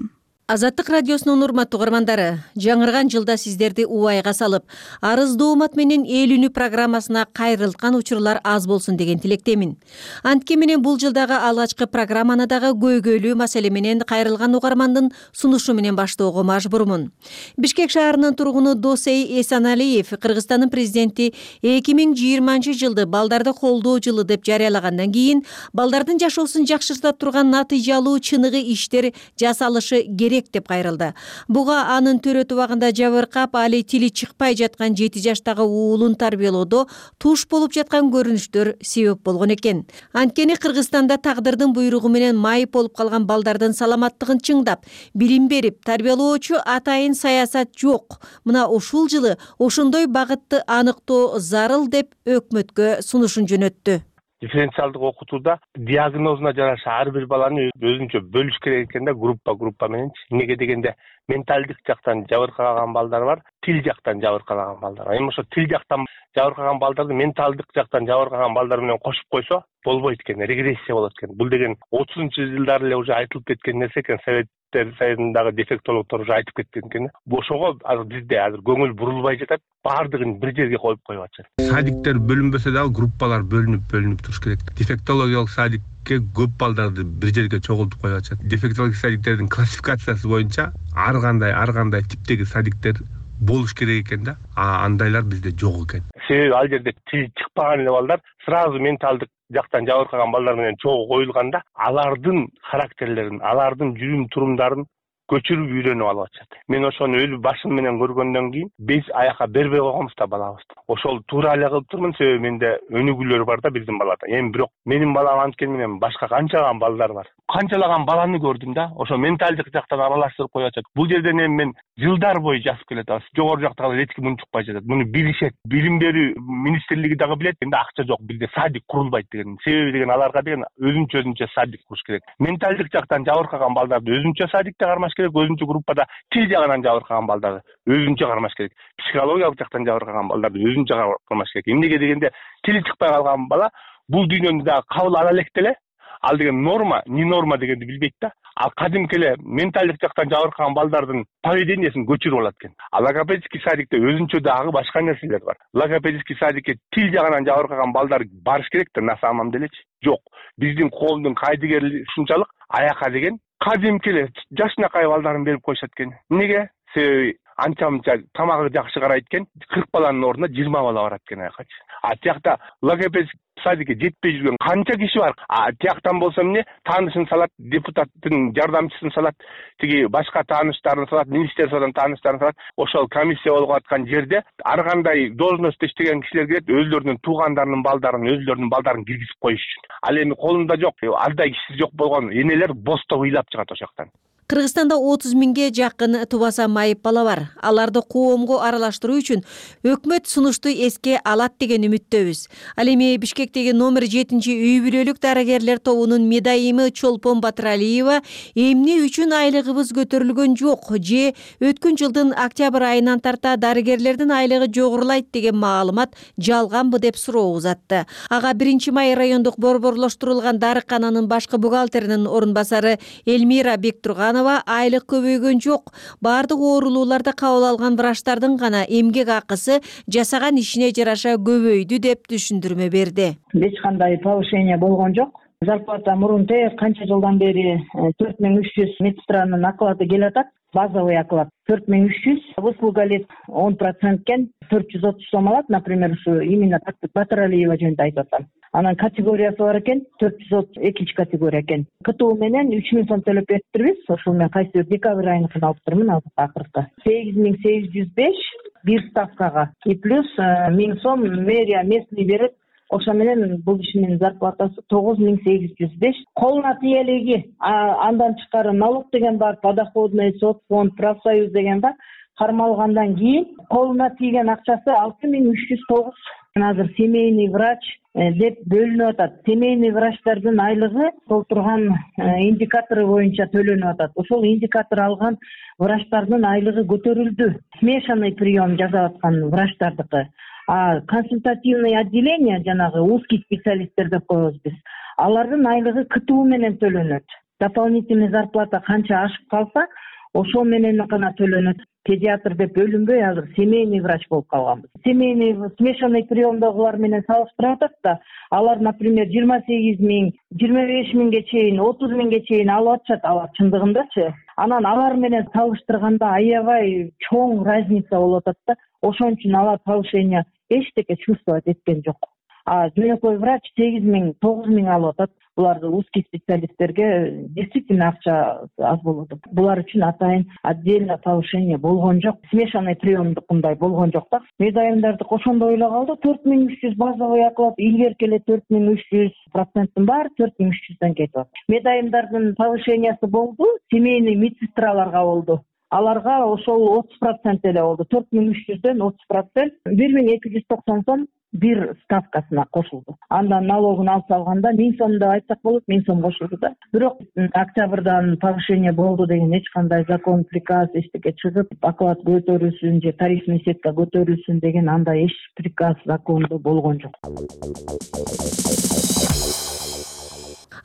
[SPEAKER 12] Азаттык радиосунун урматтуу угармандары, жаңырган жылда сиздерди убайга салып, арыз доомат менен элүүнү программасына кайрылткан учурлар аз болсун деген тилектемин. Антке менен бул жылдагы алгачкы программаны дагы көйгөйлүү маселе менен кайрылган угармандын сунушу менен баштоого мажбурмун. Бишкек шаарынын тургуну Досей Эсаналиев Кыргызстандын президенти 2020-жылды балдарды колдоо жылы деп жарыялагандан кийин балдардын жашоосун жакшырта турган натыйжалуу чыныгы иштер жасалышы керек деп кайрылды. Буга анын төрөтү убагында жабыркап, али тили чыкпай жаткан 7 жаштагы уулун тарбиялоодо туш болуп жаткан көрүнүштөр себеп болгон экен. Анткени Кыргызстанда тагдырдын буйругу менен майып болуп калган балдардын саламаттыгын чыңдап, билим берип, тарбиялоочу атайын саясат жок. Мына ушул жылы ошондой багытты аныктоо зарыл деп өкмөткө сунушун жөнөттү.
[SPEAKER 13] Дифференциалдык окутууда диагнозуна жараша ар бир баланы өзүнчө бөлүш керек экен да, группа менен. Эмнеге дегенде менталдык жактан жабыркаган балдар бар, тил жактан жабыркаган балдар бар. Эми ошо тил жактан жабыркаган балдарды менталдык жактан жабыркаган балдар менен кошуп койсо болбойт экен, регрессия болот экен. Бул деген 30-жылдары эле уже айтылып кеткен нерсе экен. Советтер Союзундагы дефектологдор уже айтып кеткен экен. Ошого бизде азыр көңүл бурулбай жатат, баардыгын бир жерге коюп атышат.
[SPEAKER 14] Садиктер бөлүнбөсө дагы группалар бөлүнүп туруш керек. Дефектологиялык садикке көп балдарды бир жерге чогултуп коюп атышат. Дефектологиялык садиктердин классификациясы боюнча ар кандай типтеги садиктер болуш керек экен да. Андайлар бизде жок экен.
[SPEAKER 13] Себеби ал жерде тил чыкпаган эле балдар сразу менталдык жактан жабыркаган балдар менен чогуу коюлганда, алардын характерлерин, алардын жүрүм турумдарын көчүрүп үйрөнүп алып атышат. Мен ошону өз башым менен көргөндөн кийин биз аяка бербей койгонбуз да балабызды. Ошол туура эле кылып турмун, себеби менде өнүгүүлөр бар да биздин балада. Эми бирок менин балам анткени менен башка канчалаган балдар бар. Канчалаган баланы көрдүм да, ошо менталдык жактан аралаштырып коюп атышат. Бул жерден эми мен жылдар бою жазып келет атабыз. Жогору жактагы эч ким унчукпай жатат. Муну билишет. Билим берүү министрлиги дагы билет. Эми акча жок, бизде садик курулбайт деген. Себеби деген аларга деген өзүнчө садик куруш керек. Менталдык жактан жабыркаган балдарды өзүнчө садикте кармаш керек, өзүнчө группада. Тил жагынан жабыркаган балдарды өзүнчө кармаш керек. Психологиялык жактан жабыркаган балдарды өзүнчө кармаш керек. Эмнеге дегенде тили чыкпай калган бала бул дүйнөнү дагы кабыл ала элек деле. Ал деген норма, не норма дегенди билбейт да. Ал кадимки эле менталдык жактан жабыркаган балдардын поведениясын көчүрүп алат экен. А логопедический садикте өзүнчө дагы башка нерселер бар. Логопедический садикке тил жагынан жабыркаган балдар барыш керек да, на самом делечи. Жок. Биздин коомдун кайдыгерлиги ушунчалык аяка деген кадимки эле жашынакай балдарын берип коюшат экен. Эмнеге? Себеби анча-мынча тамагы жакшы карайт экен, 40 баланын ордуна 20 бала барат экен аякачы. А тиякта логопедический садикке жетпей жүргөн канча киши бар. А тияктан болсо эмне? Таанышын салат, депутаттын жардамчысын салат, тиги башка тааныштарын салат, министерстводон тааныштарын салат. Ошол комиссия болуп аткан жерде ар кандай должностто иштеген кишилер келет, өзлөрүнүн туугандарынын балдарын киргизип коюш үчүн. Ал эми колунда жок, алдай кишиси жок болгон энелер бостоо ыйлап чыгат ошол жактан.
[SPEAKER 12] Кыргызстанда 30 миңге жакын тубаса майып бала бар. Аларды коомго аралаштыруу үчүн өкмөт сунушту эске алат деген үмүттөбүз. Ал эми Бишкектеги номер 7-үй бүлөлүк дарыгерлер тобунун медайымы Чолпон Батыралиева эмне үчүн айлыгыбыз көтөрүлгөн жок же өткөн жылдын октябрь айынан тарта дарыгерлердин айлыгы жогорулайт деген маалымат жалганбы деп суроо узатты. Ага 1-май райондук борборлоштурулган дарыкананын башкы бухгалтеринин орун басары Элмира Бектурганова айлык көбөйгөн жок. Бардык оорулууларда кабыл алган врачтардын гана эмгек акысы жасаган ишине жараша көбөйдү деп түшүндүрмө берди.
[SPEAKER 15] Эч кандай повышение болгон жок. Зарплата мурунтэ канча жылдан бери 4300 медсестранын оклады келатат. Базовый оклад 4300, выслуга лет 10% кен 430 сом алат, например, ушу именно Батыралиева жөнүндө айтып атам. Анан категориясы бар экен, 432 категория экен. КТУ менен 3000 сом төлөп бериптирбиз. Ошол менен кайсы декабрь айыныкын алып турмун акыркы. 8805 бир ставкага и плюс 1000 сом мэрия местный берет. Ошо менен бул кишинин зарплатасы 9805. Колуна тиелиги, андан тышкары налог деген бар, подоходный, соцфонд, профсоюз деген бар. Кармалгандан кийин колуна тийген акчасы 6309. Азыр семейный врач деп бөлүнүп атат. Семейный врачтардын айлыгы толтурган индикатору боюнча төлөнүп атат. Ошол индикатор алган врачтардын айлыгы көтөрүлдү. Смешанный прием жасап аткан врачтардыкы. А консультативный отделение, жанагы узкий специалисттер деп коебуз биз. Алардын айлыгы КТУ менен төлөнөт. Дополнительный зарплата канча ашып калса, ошол менен гана төлөнөт. Педиатр деп бөлүнбөй азыр семейный врач болуп калганбыз. Семейный смешанный приемдогулар менен салыштырып атат да, алар, например, 28 миң, 25 миңге чейин, 30 миңге чейин алып атышат, алар чындыгындачы. Анан алар менен салыштырганда аябай чоң разница болуп атат да. Ошон үчүн алар повышение эчтеке чувствовать эткен жок. А жөнөкөй врач 8 миң, 9 миң алып атат. Буларды узкий специалисттерге действительно акча аз болот. Булар үчүн атайын отдельно повышение болгон жок. Смешанный приемдукундай болгон жок да. Медайымдарды ошондой эле калды. 4300 базовый оклад, илгерки эле 4300 проценттин баары 4300дөн кетип атат. Медайымдардын повышениясы болду, семейный медсестраларга болду. Аларга ошол 30% эле болду. 4300дөн 30%, 1290 сом бир ставкасына кошулду. Андан налогун алып салганда 1000 сом деп айтсак болот, 1000 сом кошулду да. Бирок октябрдан повышение болду деген эч кандай закон, приказ эчтеке чыгып, оклад көтөрүлсүн же тарифный сетка көтөрүлсүн деген андай эч приказ, закондо болгон жок.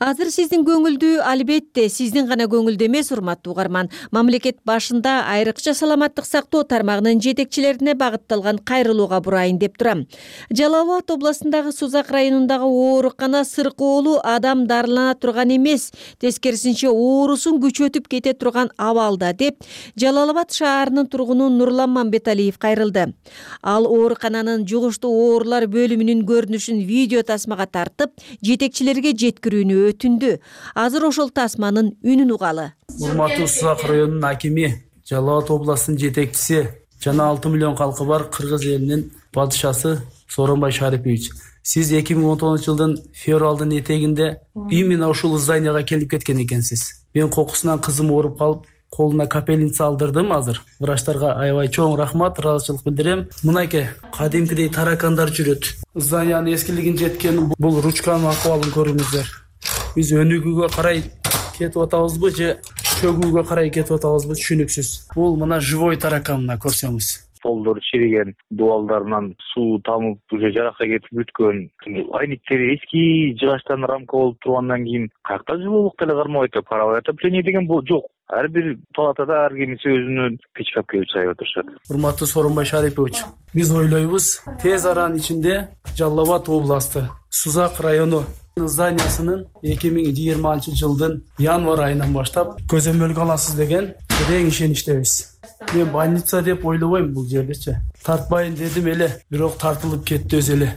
[SPEAKER 12] Азыр сиздин көңүлдүү, албетте сиздин гана көңүлдүү эмес, урматтуу угарман. Мамлекет башында айрыкча саламаттык сактоо тармагынын жетекчилерине багытталган кайрылууга бурайын деп турам. Жалал Абад областындагы Сузак районундагы оорукана сыркоолу адам дарылана турган эмес, тескерисинче оорусун күчөтүп кете турган абалда деп Жалал Абад шаарынын тургуну Нурлан Мамбеталиев кайрылды. Ал оорукананын жугуштуу оорулар бөлүмүнүн көрүнүшүн видео тасмага тартып, жетекчилерге жеткирүүнү өтүндү. Азыр ошол тасманын үнүн угалы.
[SPEAKER 16] Урматтуу Сузак районунун акими, Жалал Абад областынын жетекчиси жана 6 миллион калкы бар кыргыз элинин падышасы Сооронбай Шарипович. Сиз 2019 жылдын февралдын этегинде именно ушул зданияга келип кеткен экенсиз. Мен кокусунан кызым ооруп калып, колуна капельница алдырдым азыр. Врачтарга аябай чоң рахмат, ыраазычылык билдирем. Мынакей кадимкидей таракандар жүрөт. Зданиянын эскилигин жеткен бул ручканын акыбалын көрүңүздөр. Биз өнүгүүгө карай кетип атабызбы же чөгүүгө карай кетип атабызбы түшүнүксүз. Бул мына живой таракан, мына көрсөңүз.
[SPEAKER 17] Столдор чириген, дубалдарынан суу тамып, уже жаракка кетип бүткөн. Айниктери эски жыгачтан рамка болуп тургандан кийин каякта жылуулук деле кармабайт деп, паровое отопление деген бул жок. Ар бир палатада ар кимиси өзүнүн печкапка чайып отурушат.
[SPEAKER 16] Урматтуу Сооронбай Шарипович, биз ойлойбуз, тез аранын ичинде Жалал Абад областы Сузак району зданиясынын 2020 жылдын январь айынан баштап көзөмөлгө аласыз деген терең ишеничтебиз. Мен больница деп ойлобойм бул жердечи. Тартпайын дедим эле, бирок тартылып кетти өзү эле.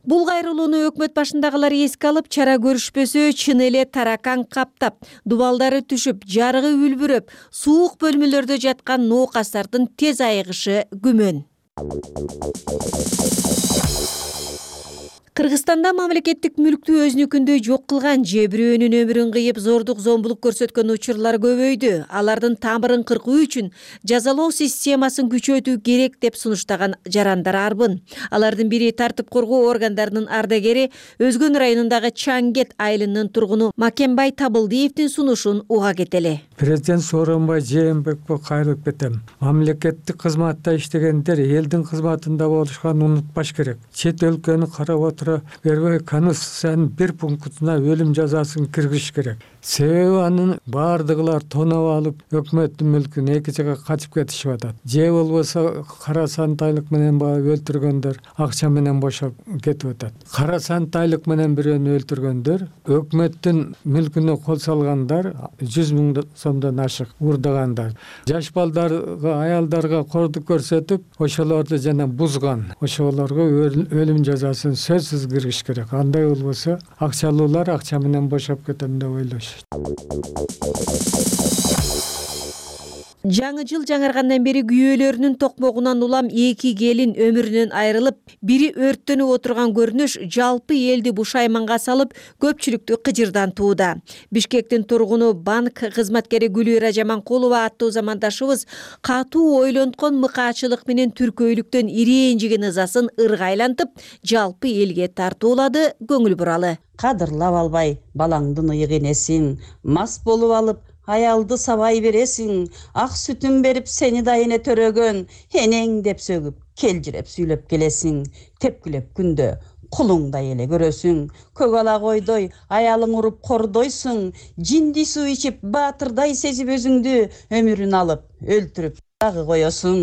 [SPEAKER 12] Бул кайрылууну өкмөт башындагылар эске алып, чара көрүшпөсө чын эле таракан каптап, дубалдары түшүп, жарыгы үлбүрөп, суук бөлмөлөрдө жаткан ноокастардын тез айыгышы күмөн. Кыргызстанда мамлекеттик мүлктү өзүнүкүндөй жок кылган же бирөөнүн өмүрүн кыйып зордук зомбулук көрсөткөн учурлар көбөйдү. Алардын тамырын кыркуу үчүн жазалоо системасын күчөтүү керек деп сунуштаган жарандар арбын. Алардын бири тартип коргоо органдарынын ардагери, Өзгөн районундагы Чаңгет айылынын тургуну Макенбай Табылдиевдин сунушун уга кетели.
[SPEAKER 18] Президент Сооронбай Жээнбековго кайрылып кетем. Мамлекеттик кызматта иштегендер элдин кызматында болушканын унутпаш керек. Чет өлкөнү карап отура бербей Конституциянын бир пунктуна өлүм жазасын киргизиш керек. Себеби анын бардыгылар тоноп алып, өкмөттүн мүлкүн эки жака качып кетишип атат. Же болбосо кара сантайлык менен өлтүргөндөр акча менен бошоп кетип атат. Кара сантайлык менен бирөөнү өлтүргөндөр, өкмөттүн мүлкүнө кол салгандар 100 000 сомдон ашык урдагандар. Жаш балдарга, аялдарга кордук көрсөтүп, ошолорду жана бузган. Ошолорго өлүм жазасын сөзсүз киргизиш керек. Андай болбосо акчалуулар акча менен бошоп кетем деп ойлош.
[SPEAKER 12] Жаңы жыл жаңыргандан бери күйөөлөрүнүн токмогунан улам эки келин өмүрүнөн айрылып, бири өрттөнүп отурган көрүнүш жалпы элди бушайманга салып, көпчүлүктү кыжырдантууда. Бишкектин тургуну банк кызматкери Гүлүра Жаманкулова аттуу замандашыбыз катуу ойлонткон мыкаачылык менен түркөйлүктөн ирээжиген ызасын ыргайлантып, жалпы элге тартуулады, көңүл буралы.
[SPEAKER 19] Кадырлап албай балаңдын ыйык энесиң, мас болуп алып аялды сабай бересиң, ак сүтүн берип сени да эне төрөгөн, энең деп сөгүп, келжиреп сүйлөп келесиң, тепкилеп күндө кулуңдай эле көрөсүң, көк ала койдой аялың уруп кордойсуң, жинди суу ичип баатырдай сезип өзүңдү өмүрүн алып, өлтүрүп дагы коесуң.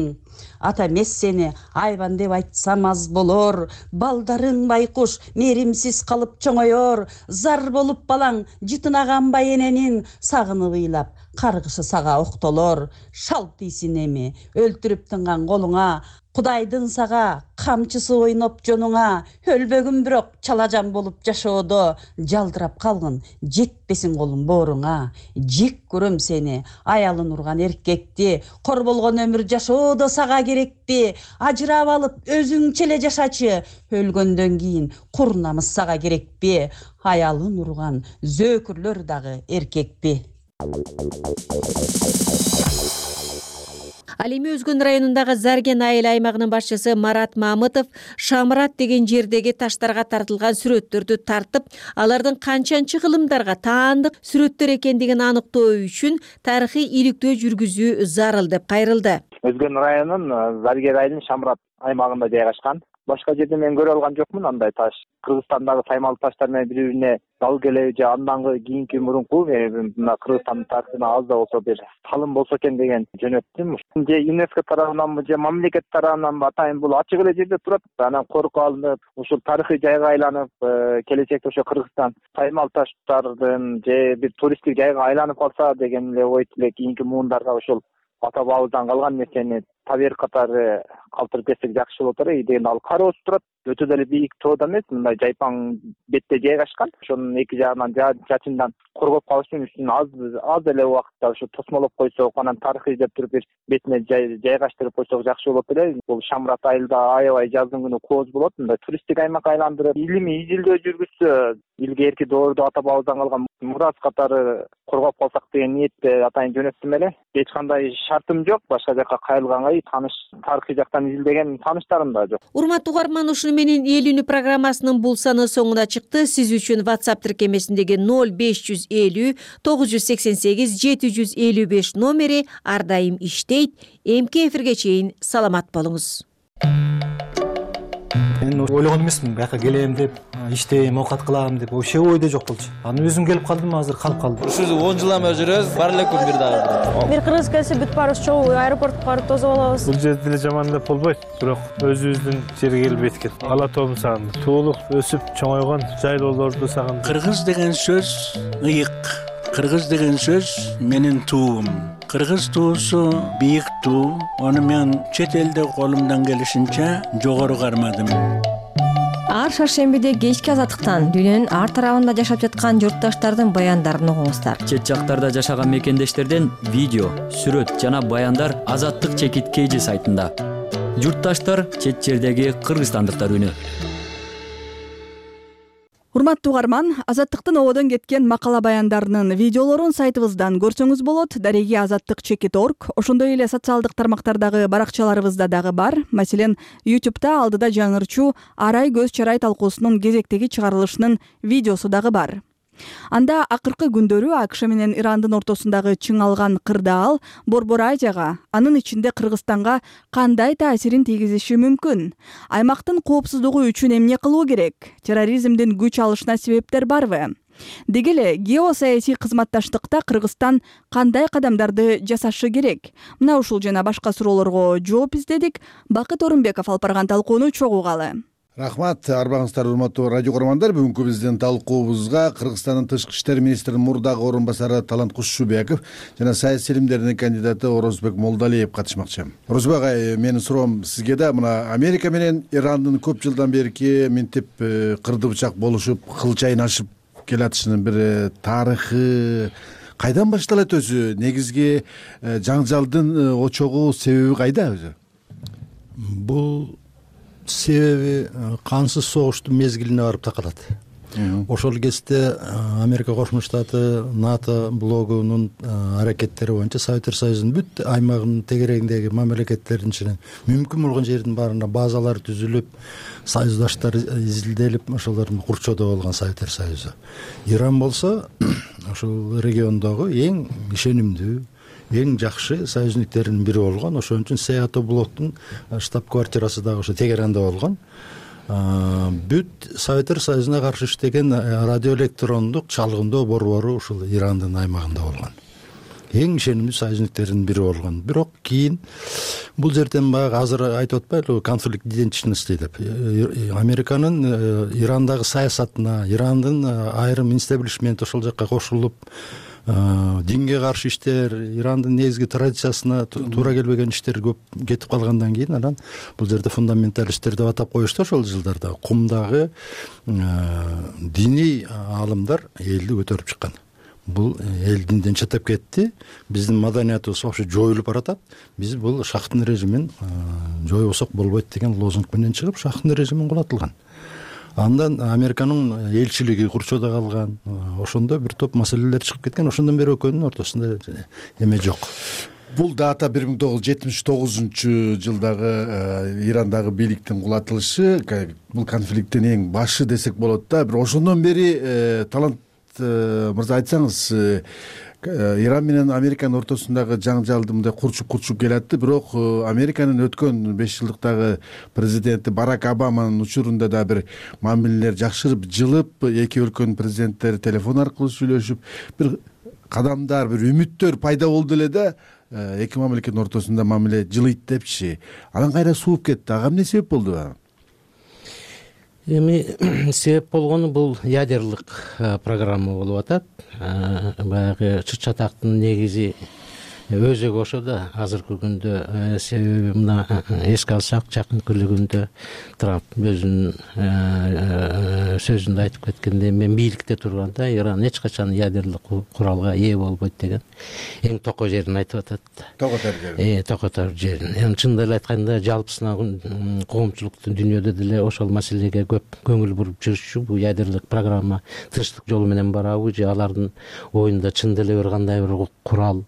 [SPEAKER 19] Ата эмес сени айбан деп айтсам аз болор, балдарың байкуш мээримсиз калып чоңоёр, зар болуп балаң жытына канбай эненин, сагынып ыйлап каргышы сага октолор. Шалт ийсин эми өлтүрүп тынган колуңа, Кудайдын сага камчысы ойноп жонуңа, өлбөгүн бирок чалажан болуп жашоодо, жалдырап калгын жетпесин колуң бооруңа. Жек көрөм сени аялын урган эркекти, кор болгон өмүр жашоодо сага керекпи? Ажырап алып өзүңчө эле жашачы, өлгөндөн кийин кур намыс сага керекпи? Аялын урган зөөкүрлөр дагы эркекпи?
[SPEAKER 12] Ал эми Өзгөн районундагы Зарген айыл аймагынын башчысы Марат Мамытов Шамрат деген жердеги таштарга тартылган сүрөттөрдү тартып, алардын канчанчы кылымдарга таандык сүрөттөр экендигин аныктоо үчүн тарыхый иликтөө жүргүзүү зарыл деп кайрылды.
[SPEAKER 20] Өзгөн районунун Зарген айылынын Шамрат аймагында жайгашкан. Башка жерде мен көрө алган жокмун андай таш. Кыргызстандагы таймал таштар менен бири-бирине дал келеби же андан кийинки мурунку мына Кыргызстандын тарыхына аз да болсо бир талым болсо экен деген жөнөттүм. Же ЮНЕСКО тарабынан же мамлекет тарабынан атайын бул ачык эле жерде турат. Анан коркуп алынып, ушул тарыхый жайга айланып, келечекте ошо Кыргызстан таймал таштардын же бир туристтик жайга айланып калса деген эле ой тилек кийинки муундарга ошол ата бабабыздан калган нерсени табер катары калтырып кетсек жакшы болот эле дегенде ал кар өсүп турат, өтө деле бийик тоода эмес, мындай жайпаң бетте жайгашкан. Ошонун эки жагынан жаачындан коргоп калыш үчүн үстүн аз эле убакытта ошо тосмолоп койсок, анан тарыхый деп туруп бир бетине жайгаштырып койсок жакшы болот эле. Бул Шамрат айылда аябай жаздын күнү кооз болот, мындай туристтик аймак айландырып, илимий изилдөө жүргүзсө, илгерки доордо ата бабабыздан калган мурас катары коргоп калсак деген ниетте атайын жөнөттүм эле. Эч кандай шартым жок, башка жака кайрылганга таныш тарыхый жактан изилдеген тааныштарым да жок.
[SPEAKER 12] Урматтуу угарман, ушуну менен эл үнү программасынын бул саны соңуна чыкты. Сиз үчүн WhatsApp тиркемесиндеги 0550 988 755 номери ар дайым иштейт. Эмки эфирге чейин саламат болуңуз.
[SPEAKER 21] Мен ойлогон эмесмин бияка келем деп, иштейм, оокат кылам деп, вообще ойдо жок болчу. Анан өзүм келип калдым, азыр калып калдым.
[SPEAKER 22] Ушул 10 жылдан бери жүрөбүз, бар эле күн бир дагы.
[SPEAKER 23] Бир кыргыз келсе бүт баарыбыз чогуу аэропортко барып тосуп алабыз.
[SPEAKER 24] Бул жерде деле жаман деп болбойт, бирок өзүбүздүн жерге келип эткет. Ала тоомду сагындым. Туулуп, өсүп, чоңойгон жайлоолорду сагындым.
[SPEAKER 25] Кыргыз деген сөз ыйык. Кыргыз деген сөз менин туум. Кыргыз туусу бийик туу. Аны мен чет элде колумдан келишинче жогору кармадым.
[SPEAKER 23] Ар шаршембиде кечки азаттыктан дүйнөнүн ар тарабында жашап жаткан журтташтардын баяндарын угуңуздар.
[SPEAKER 26] Чет жактарда жашаган мекендештерден видео, сүрөт жана баяндар Азаттык чекит KG сайтында. Журтташтар чет жердеги кыргызстандыктар үнү.
[SPEAKER 1] Урматтуу угарман, Азаттыктын ободон кеткен макала баяндарынын видеолорун сайтыбыздан көрсөңүз болот. Дареги azattikchekit.org. Ошондой эле социалдык тармактардагы баракчаларыбызда дагы бар. Маселен, YouTube'да алдыда жаңырчу Арай көз чарай талкуусунун кезектеги чыгарылышынын видеосу дагы бар. Анда акыркы күндөрү АКШ менен Ирандын ортосундагы чыңалган кырдаал Борбор Азияга, анын ичинде Кыргызстанга кандай таасирин тийгизиши мүмкүн? Аймактын коопсуздугу үчүн эмне кылуу керек? Терроризмдин күч алышына себептер барбы? Деги эле геосаясий кызматташтыкта Кыргызстан кандай кадамдарды жасашы керек? Мына ушул жана башка суроолорго жооп издедик. Бакыт Орунбеков алып барган талкууну чогуу угалы.
[SPEAKER 10] Рахмат, арбаңыздар урматтуу радио көрөрмандар. Бүгүнкү биздин талкуубузга Кыргызстандын тышкы иштер министринин мурдагы орун басары Талант Кушубеков жана саясий илимдердин кандидаты Орозбек Молдалиев катышмакчы. Орозбек агай, менин суроом сизге да, мына Америка менен Ирандын көп жылдан берки минтип кырды бычак болушуп, кыл чайнашып келатышынын бир тарыхы кайдан башталат өзү? Негизги жаңжалдын очогу, себеби кайда өзү?
[SPEAKER 27] Бул себеби кансыз согуштун мезгилине барып такалат. Ошол кезде Америка Кошмо Штаты НАТО блогунун аракеттери боюнча Советтер Союзунун бүт аймагынын тегерегиндеги мамлекеттердин ичинен мүмкүн болгон жердин баарында базалар түзүлүп, союздаштар изилделип, ошолордун курчоодо болгон Советтер Союзу. Иран болсо ошол региондогу эң ишенимдүү, эң жакшы союзниктердин бири болгон. Ошон үчүн Сеато блоктун штаб-квартирасы дагы ошо Тегеранда болгон. Бүт Советтер Союзуна каршы иштеген радиоэлектрондук чалгындоо борбору ушул Ирандын аймагында болгон. Эң ишенимдүү союзниктердин бири болгон. Бирок кийин бул жерден баягы азыр айтып атпайлыбы, конфликт идентичности деп. Американын Ирандагы саясатына, Ирандын айрым инстаблишмент ошол жакка кошулуп, динге каршы иштер, Ирандын негизги традициясына туура келбеген иштер көп кетип калгандан кийин анан бул жерде фундаменталисттер деп атап коюшту ошол жылдарда. Кумдагы диний аалымдар элди көтөрүп чыккан. Бул эл динден четтеп кетти, биздин маданиятыбыз вообще жоюлуп баратат. Биз бул шахтын режимин жоюбасак болбойт деген лозунг менен чыгып, шахтын режимин кулатылган. Андан Американын элчилиги курчоодо калган. Ошондо бир топ маселелер чыгып кеткен. Ошондон бери экөөнүн ортосунда эме жок.
[SPEAKER 10] Бул дата 1979 жылдагы Ирандагы бийликтин кулатылышы, бул конфликттин эң башы десек болот да. Бир ошондон бери Талант мырза айтсаңыз, Иран менен Американын ортосундагы жаңжалды мындай курчуп келатты, бирок Американын өткөн 5 жылдыктагы президенти Барак Обаманын учурунда да бир мамилелер жакшырып, жылып, эки өлкөнүн президенттери телефон аркылуу сүйлөшүп, бир кадамдар, бир үмүттөр пайда болду эле да, эки мамлекеттин ортосунда мамиле жылыйт депчи. Анан кайра сууп кетти. Ага эмне себеп болду?
[SPEAKER 28] Эми себеп болгону бул ядерлык программа болуп атат. Баягы чыт-чатактын негизи өзөгү ошо да азыркы күндө. Себеби мына эске алсак, жакынкы эле күндө Трамп өзүнүн сөзүндө айтып кеткендей, мен бийликте турганда Иран эч качан ядерлик куралга ээ болбойт деген эң токой жерин айтып атат. Токотор жерин. Эми чындап эле айтканда жалпысына коомчулуктун дүйнөдө деле ошол маселеге көп көңүл буруп жүрүшчү. Бул ядерлик программа тынчтык жолу менен барабы же алардын оюнда чын деле бир кандай бир курал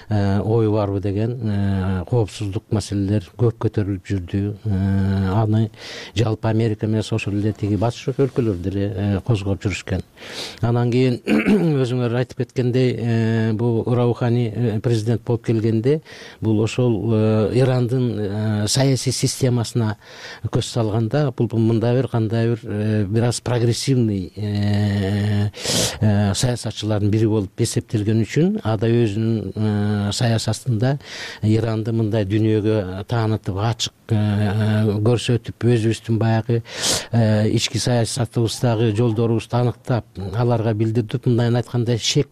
[SPEAKER 28] ою барбы деген коопсуздук маселелер көп көтөрүлүп жүрдү. Аны жалпы Америка менен ошол эле тиги батыш өлкөлөр деле козгоп жүрүшкөн. Анан кийин өзүңөр айтып кеткендей, бул Раухани президент болуп келгенде бул ошол Ирандын саясий системасына көз салганда бул мындай бир кандай бир аз прогрессивный саясатчылардын бири болуп эсептелген үчүн ада өзүнүн саясатында Иранды мындай дүйнөгө таанытып, ачык көрсөтүп, өзүбүздүн баягы ички саясатыбыздагы жолдорубузду аныктап, аларга билдирдип, мындайын айтканда шек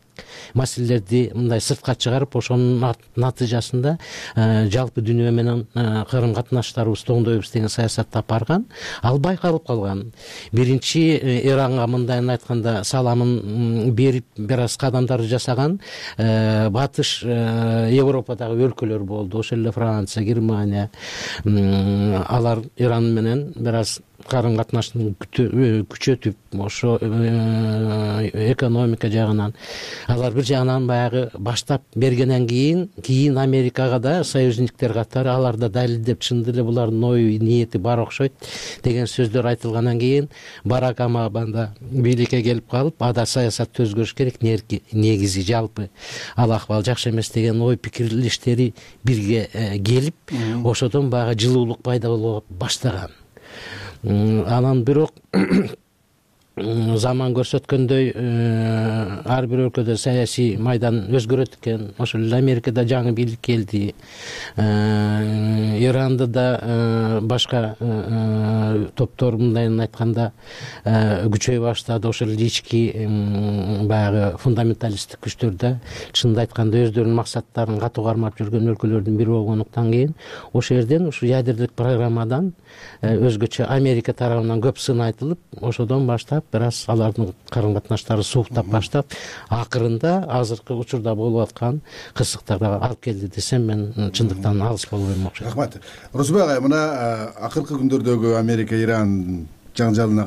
[SPEAKER 28] маселелерди мындай сыртка чыгарып, ошонун натыйжасында жалпы дүйнө менен кырым катнаштарыбызды оңдойбуз деген саясатты алып барган. Ал байкалып калган. Биринчи Иранга мындайын айтканда саламын берип, бир аз кадамдарды жасаган батыш Европадагы өлкөлөр болду. Ошол эле Франция, Германия. Алар Иран менен бир аз карым катнаштын күчөтүп, ошо экономика жагынан алар бир жагынан баягы баштап бергенден кийин Америкага да союзниктер катары алар да далилдеп, чын деле булардын ою ниети бар окшойт деген сөздөр айтылгандан кийин Барак Обама да бийликке келип калып, ада саясатты өзгөрүш керек, негизи жалпы ал акыбал жакшы эмес деген ой пикирлештери бирге келип, ошодон баягы жылуулук пайда боло баштаган. Анан бирок заман көрсөткөндөй ар бир өлкөдө саясий майдан өзгөрөт экен. Ошол эле Америкада жаңы бийлик келди. Иранда да башка топтор мындайын айтканда күчөй баштады. Ошол эле ички баягы фундаменталисттик күчтөр да чынында айтканда өздөрүнүн максаттарын катуу кармап жүргөн өлкөлөрдүн бири болгондуктан кийин ошол жерден ушу ядерлик программадан өзгөчө Америка тарабынан көп сын айтылып, ошодон баштап бир аз алардын карым катнаштары сууктап баштап, акырында азыркы учурда болуп аткан кырсыктарга алып келди десем мен чындыктан алыс болбойм окшойт.
[SPEAKER 10] Рахмат. Орозбек агай, мына акыркы күндөрдөгү Америка-Иран жаңжалына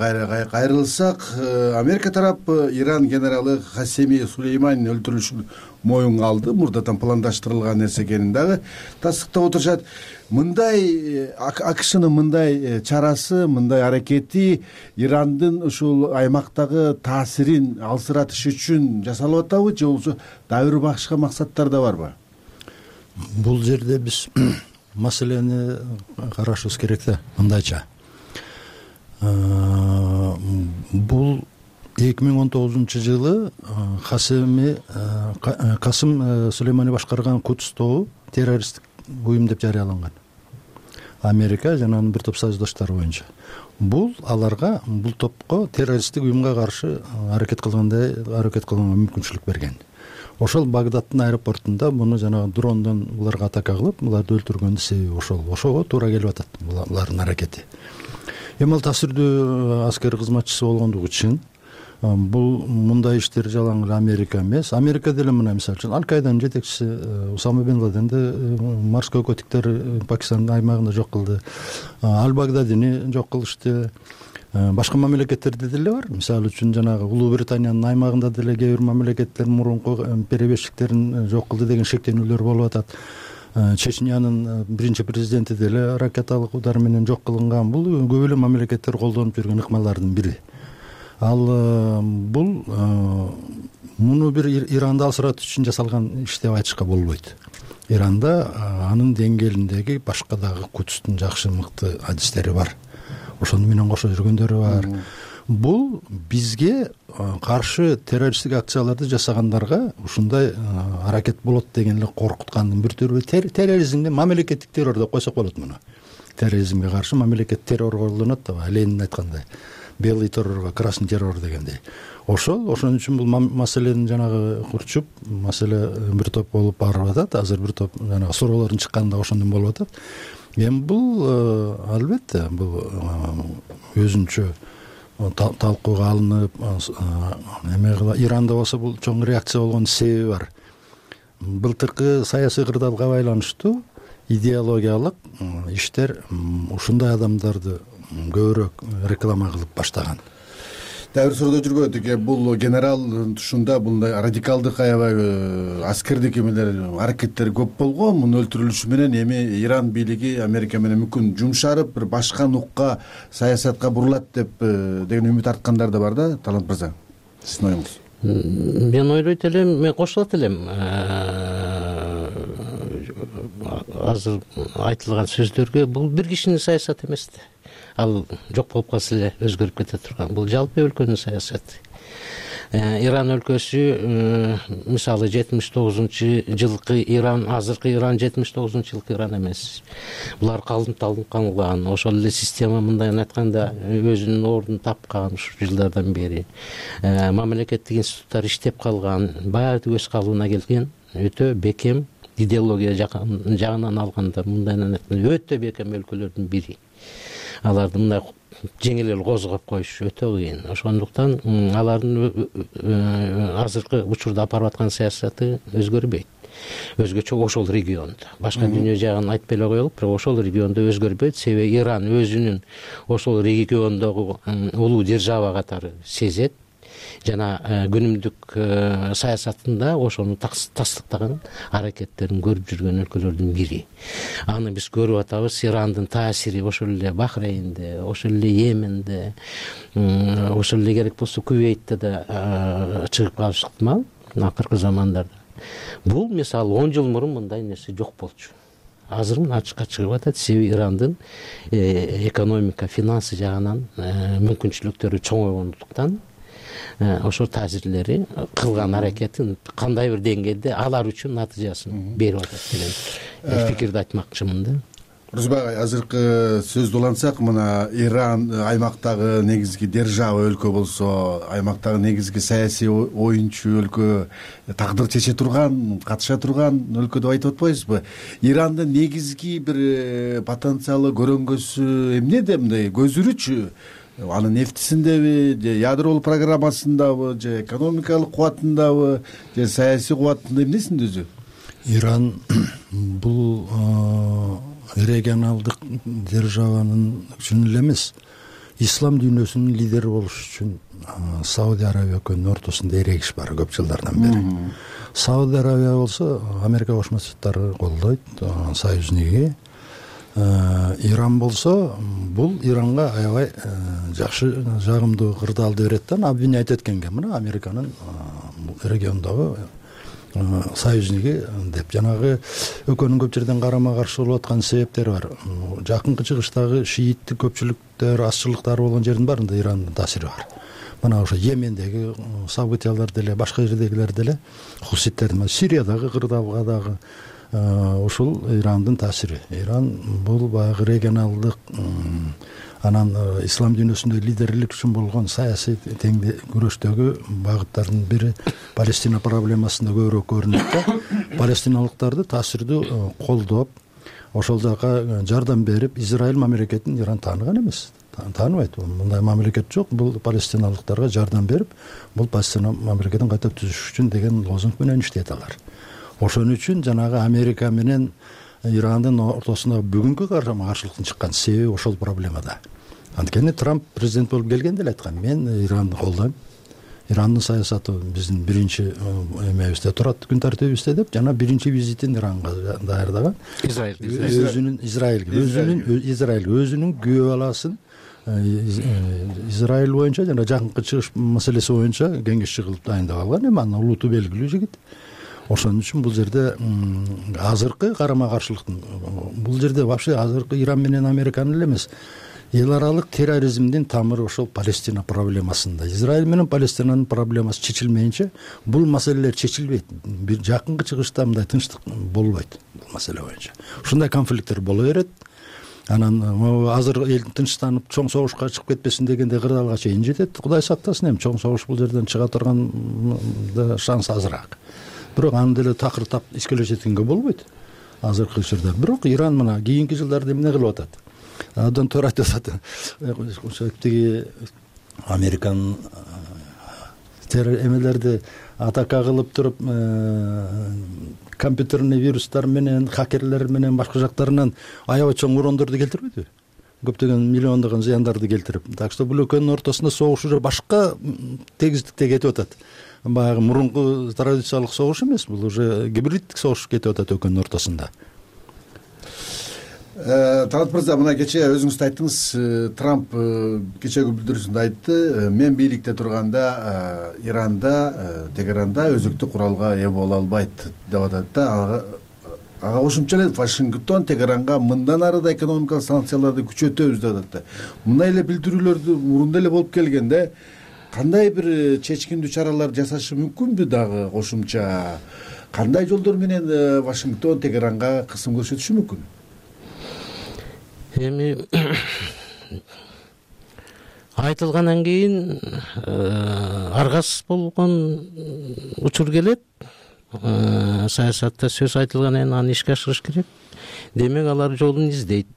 [SPEAKER 10] кайрылсак, Америка тарапы Иран генералы Касеми Сулейманин өлтүрүлүшүн моюнга алды. Мурдатан пландаштырылган нерсе экенин дагы тастыктап отурушат. Мындай АКШнын мындай чарасы, мындай аракети Ирандын ушул аймактагы таасирин алсыратыш үчүн жасалып атабы же болбосо дагы бир башка максаттар да барбы?
[SPEAKER 27] Бул жерде биз маселени карашыбыз керек да, мындайча. Бул 2019-жылы Касым Сулеймани башкарган Кудс тобу террористтик уюм деп жарыяланган. Америка жана бир топ союздаштары боюнча. Бул аларга, бул топко террористтик уюмга каршы аракет кылганга мүмкүнчүлүк берген. Ошол Багдадтын аэропортунда муну жанагы дрондон буларга атака кылып, буларды өлтүргөндүн себеби ошол. Ошого туура келип атат булардын аракети. Эми ал таасирдүү аскер кызматчысы болгондугу үчүн бул мындай иштер жалаң Америка эмес. Америка деле мына мисалы үчүн Аль-Каиданын жетекчиси Усама бен Ладенди морской котиктер Пакистандын аймагында жок кылды. Аль-Багдадини жок кылышты. Башка мамлекеттерде деле бар. Мисалы үчүн жанагы Улуу Британиянын аймагында деле кээ бир мамлекеттер мурунку перебежчиктерин жок кылды деген шектенүүлөр болуп атат. Чечнянын биринчи президенти деле ракеталык удар менен жок кылынган. Бул көп эле мамлекеттер колдонуп жүргөн ыкмалардын бири. Ал бул муну бир Иранды алсыратыш үчүн жасалган иш деп айтышка болбойт. Иранда анын деңгээлиндеги башка дагы Кудстун жакшы мыкты адистери бар. Ошону менен кошо жүргөндөрү бар. Бул бизге каршы террористтик акцияларды жасагандарга ушундай аракет болот деген эле коркуткандын бир түрү. Терроризмди мамлекеттик террор деп койсок болот муну. Терроризмге каршы мамлекет террор колдонот да, Ленин айткандай. белый террорго красный террор дегендей. Ошон үчүн бул маселени жанагы курчуп, маселе бир топ болуп барып атат. Азыр бир топ жанагы суроолордун чыкканында ошондон болуп атат. Эми бул албетте бул өзүнчө талкууга алынып, Иранда болсо бул чоң реакция болгон себеби бар. Былтыркы саясий кырдаалга байланыштуу идеологиялык иштер ушундай адамдарды көбүрөөк реклама кылып баштаган.
[SPEAKER 10] Дагы бир суроо жүргөн эки, бул генерал тушунда мындай радикалдык аябай аскердик эмелер, аракеттер көп болгон. Мунун өлтүрүлүшү менен эми Иран бийлиги Америка менен мүмкүн жумшарып, бир башка нукка саясатка бурулат деп деген үмүт арткандар да бар да, Талант мырза. Сиздин оюңуз?
[SPEAKER 28] Мен ойлойт элем, мен кошулат элем. Азыр айтылган сөздөргө бул бир кишинин саясаты эмес да. Ал жок болуп калса эле өзгөрүп кете турган. Бул жалпы өлкөнүн саясаты. Иран өлкөсү мисалы 79-жылкы Иран, азыркы Иран 79-жылкы Иран эмес. Булар калыпталган, ошол эле система мындайын айтканда өзүнүн ордун тапкан ушул жылдардан бери. Мамлекеттик институттар иштеп калган, баары өз калыбына келген, өтө бекем идеология жагынан алганда мындайын айтканда өтө бекем өлкөлөрдүн бири. Аларды мындай жеңил эле козгоп коюш өтө кыйын. Ошондуктан алардын азыркы учурда апарып аткан саясаты өзгөрбөйт. Өзгөчө ошол региондо. Башка дүйнө жагын айтпай эле коелук, бирок ошол региондо өзгөрбөйт. Себеби Иран өзүнүн ошол региондогу улуу держава катары сезет. Жана күнүмдүк саясатында ошону тастыктаган аракеттерин көрүп жүргөн өлкөлөрдүн бири. Аны биз көрүп атабыз. Ирандын таасири ошол эле Бахрейнде, ошол эле Йеменде, ошол эле керек болсо Кувейтте да чыгып калышы ыктымал акыркы замандарда. Бул мисалы 10 жыл мурун мындай нерсе жок болчу. Азыр мына ачыкка чыгып атат. Себеби Ирандын экономика, финансы жагынан мүмкүнчүлүктөрү чоңойгондуктан ошол таасирлери кылган аракетин кандай бир деңгээлде алар үчүн натыйжасын берип атат деген пикирди айтмакчымын да.
[SPEAKER 10] Рузбек, азыркы сөздү улантсак, мына Иран аймактагы негизги держава өлкө болсо, аймактагы негизги саясий оюнчу өлкө, тагдыр чече турган, катыша турган өлкө деп айтып атпайбызбы? Ирандын негизги бир потенциалы, көрөнгөсү эмнеде, мындай көзүрүчү? Анын нефтисиндеби, же ядролук программасындабы, же экономикалык кубатындабы, же саясий кубатында, эмнесинде өзү?
[SPEAKER 27] Иран бул регионалдык державанын үчүн эле эмес, ислам дүйнөсүнүн лидери болуш үчүн Саудия Арабия өлкөнүн ортосунда эрегиш бар көп жылдардан бери. Саудия Арабия болсо Америка Кошмо Штаттары колдойт, союзники. Иран болсо бул Иранга аябай жакшы, жагымдуу кырдаалды берет да, обвинять эткенге, мына Американын региондогу союзники деп. Жанагы өлкөнүн көп жерден карама каршы болуп аткан себептери бар. Жакынкы чыгыштагы шииттик көпчүлүктөр, азчылыктар болгон жердин баарында Ирандын таасири бар. Мына ошо Йемендеги событиялар деле, башка жердегилер деле, хуситтердин, Сириядагы кырдаалга дагы ушул Ирандын таасири. Иран бул баягы регионалдык, анан ислам дүйнөсүндө лидерлик үчүн болгон саясий теңди күрөштөгү багыттардын бири Палестина проблемасында көбүрөөк көрүнөт да. Палестиналыктарды таасирдүү колдоп, ошол жака жардам берип, Израиль мамлекетин Иран тааныган эмес. Тааныбайт. Мындай мамлекет жок. Бул палестиналыктарга жардам берип, бул Палестина мамлекетин кайта түзүш үчүн деген лозунг менен иштейт алар. Ошон үчүн жанагы Америка менен Ирандын ортосундагы бүгүнкү карама-каршылыктын чыккан себеби ошол проблемада. Анткени Трамп президент болуп келгенде эле айткан, мен Иранды колдойм. Ирандын саясаты биздин биринчи эмебизде турат, күн тартибибизде деп, жана биринчи визитин Иранга даярдаган. Израиль өзүнүн күйөө баласын Израиль боюнча жана жакынкы чыгыш маселеси боюнча кеңешчи кылып дайындап алган. Эми анын улуту белгилүү жигит. Ошон үчүн бул жерде азыркы карама-каршылыктын, бул жерде вообще азыркы Иран менен Американын эле эмес, эл аралык терроризмдин тамыры ошол Палестина проблемасында. Израиль менен Палестинанын проблемасы чечилмейинче бул маселелер чечилбейт. Бир жакынкы чыгышта мындай тынчтык болбойт бул маселе боюнча. Ушундай конфликттер боло берет. анан азыр эл тынчтанып чоң согушка чыгып кетпесин дегенде кырдаалга чейин жетет. Кудай сактасын, эми чоң согуш бул жерден чыга турган шанс азыраак. Бирок аны деле такыр тап искеле жеткенге болбойт азыркы учурда. Бирок Иран мына кийинки жылдарда эмне кылып атат? Абдан туура айтып атат. Ошо тиги Американ эмелерди атака кылып туруп компьютерный вирустар менен, хакерлер менен башка жактарынан аябай чоң урондорду келтирбейби? Көптөгөн миллиондогон зыяндарды келтирип. Так что бул экөөнүн ортосунда согуш уже башка тегиздикте кетип атат. Баягы мурунку традициялык согуш эмес, бул уже гибриддик согуш кетип атат экөөнүн ортосунда.
[SPEAKER 10] Талат мырза, мына кечээ өзүңүз айттыңыз, Трамп кечээги билдирүүсүндө айтты, мен бийликте турганда Иранда, Тегеранда өзүктүү куралга ээ боло албайт деп атат да. Ага кошумча эле Вашингтон Тегеранга мындан ары да экономикалык санкцияларды күчөтөбүз деп атат да. Мындай эле билдирүүлөрдү мурунда эле болуп келген да. Кандай бир чечкиндүү чаралар жасашы мүмкүнбү дагы кошумча? Кандай жолдор менен Вашингтон Тегеранга кысым көрсөтүшү мүмкүн?
[SPEAKER 28] Эми айтылгандан кийин аргас болгон учур келет. Саясатта сөз айтылгандан кийин аны ишке ашырыш керек. Демек алар жолун издейт.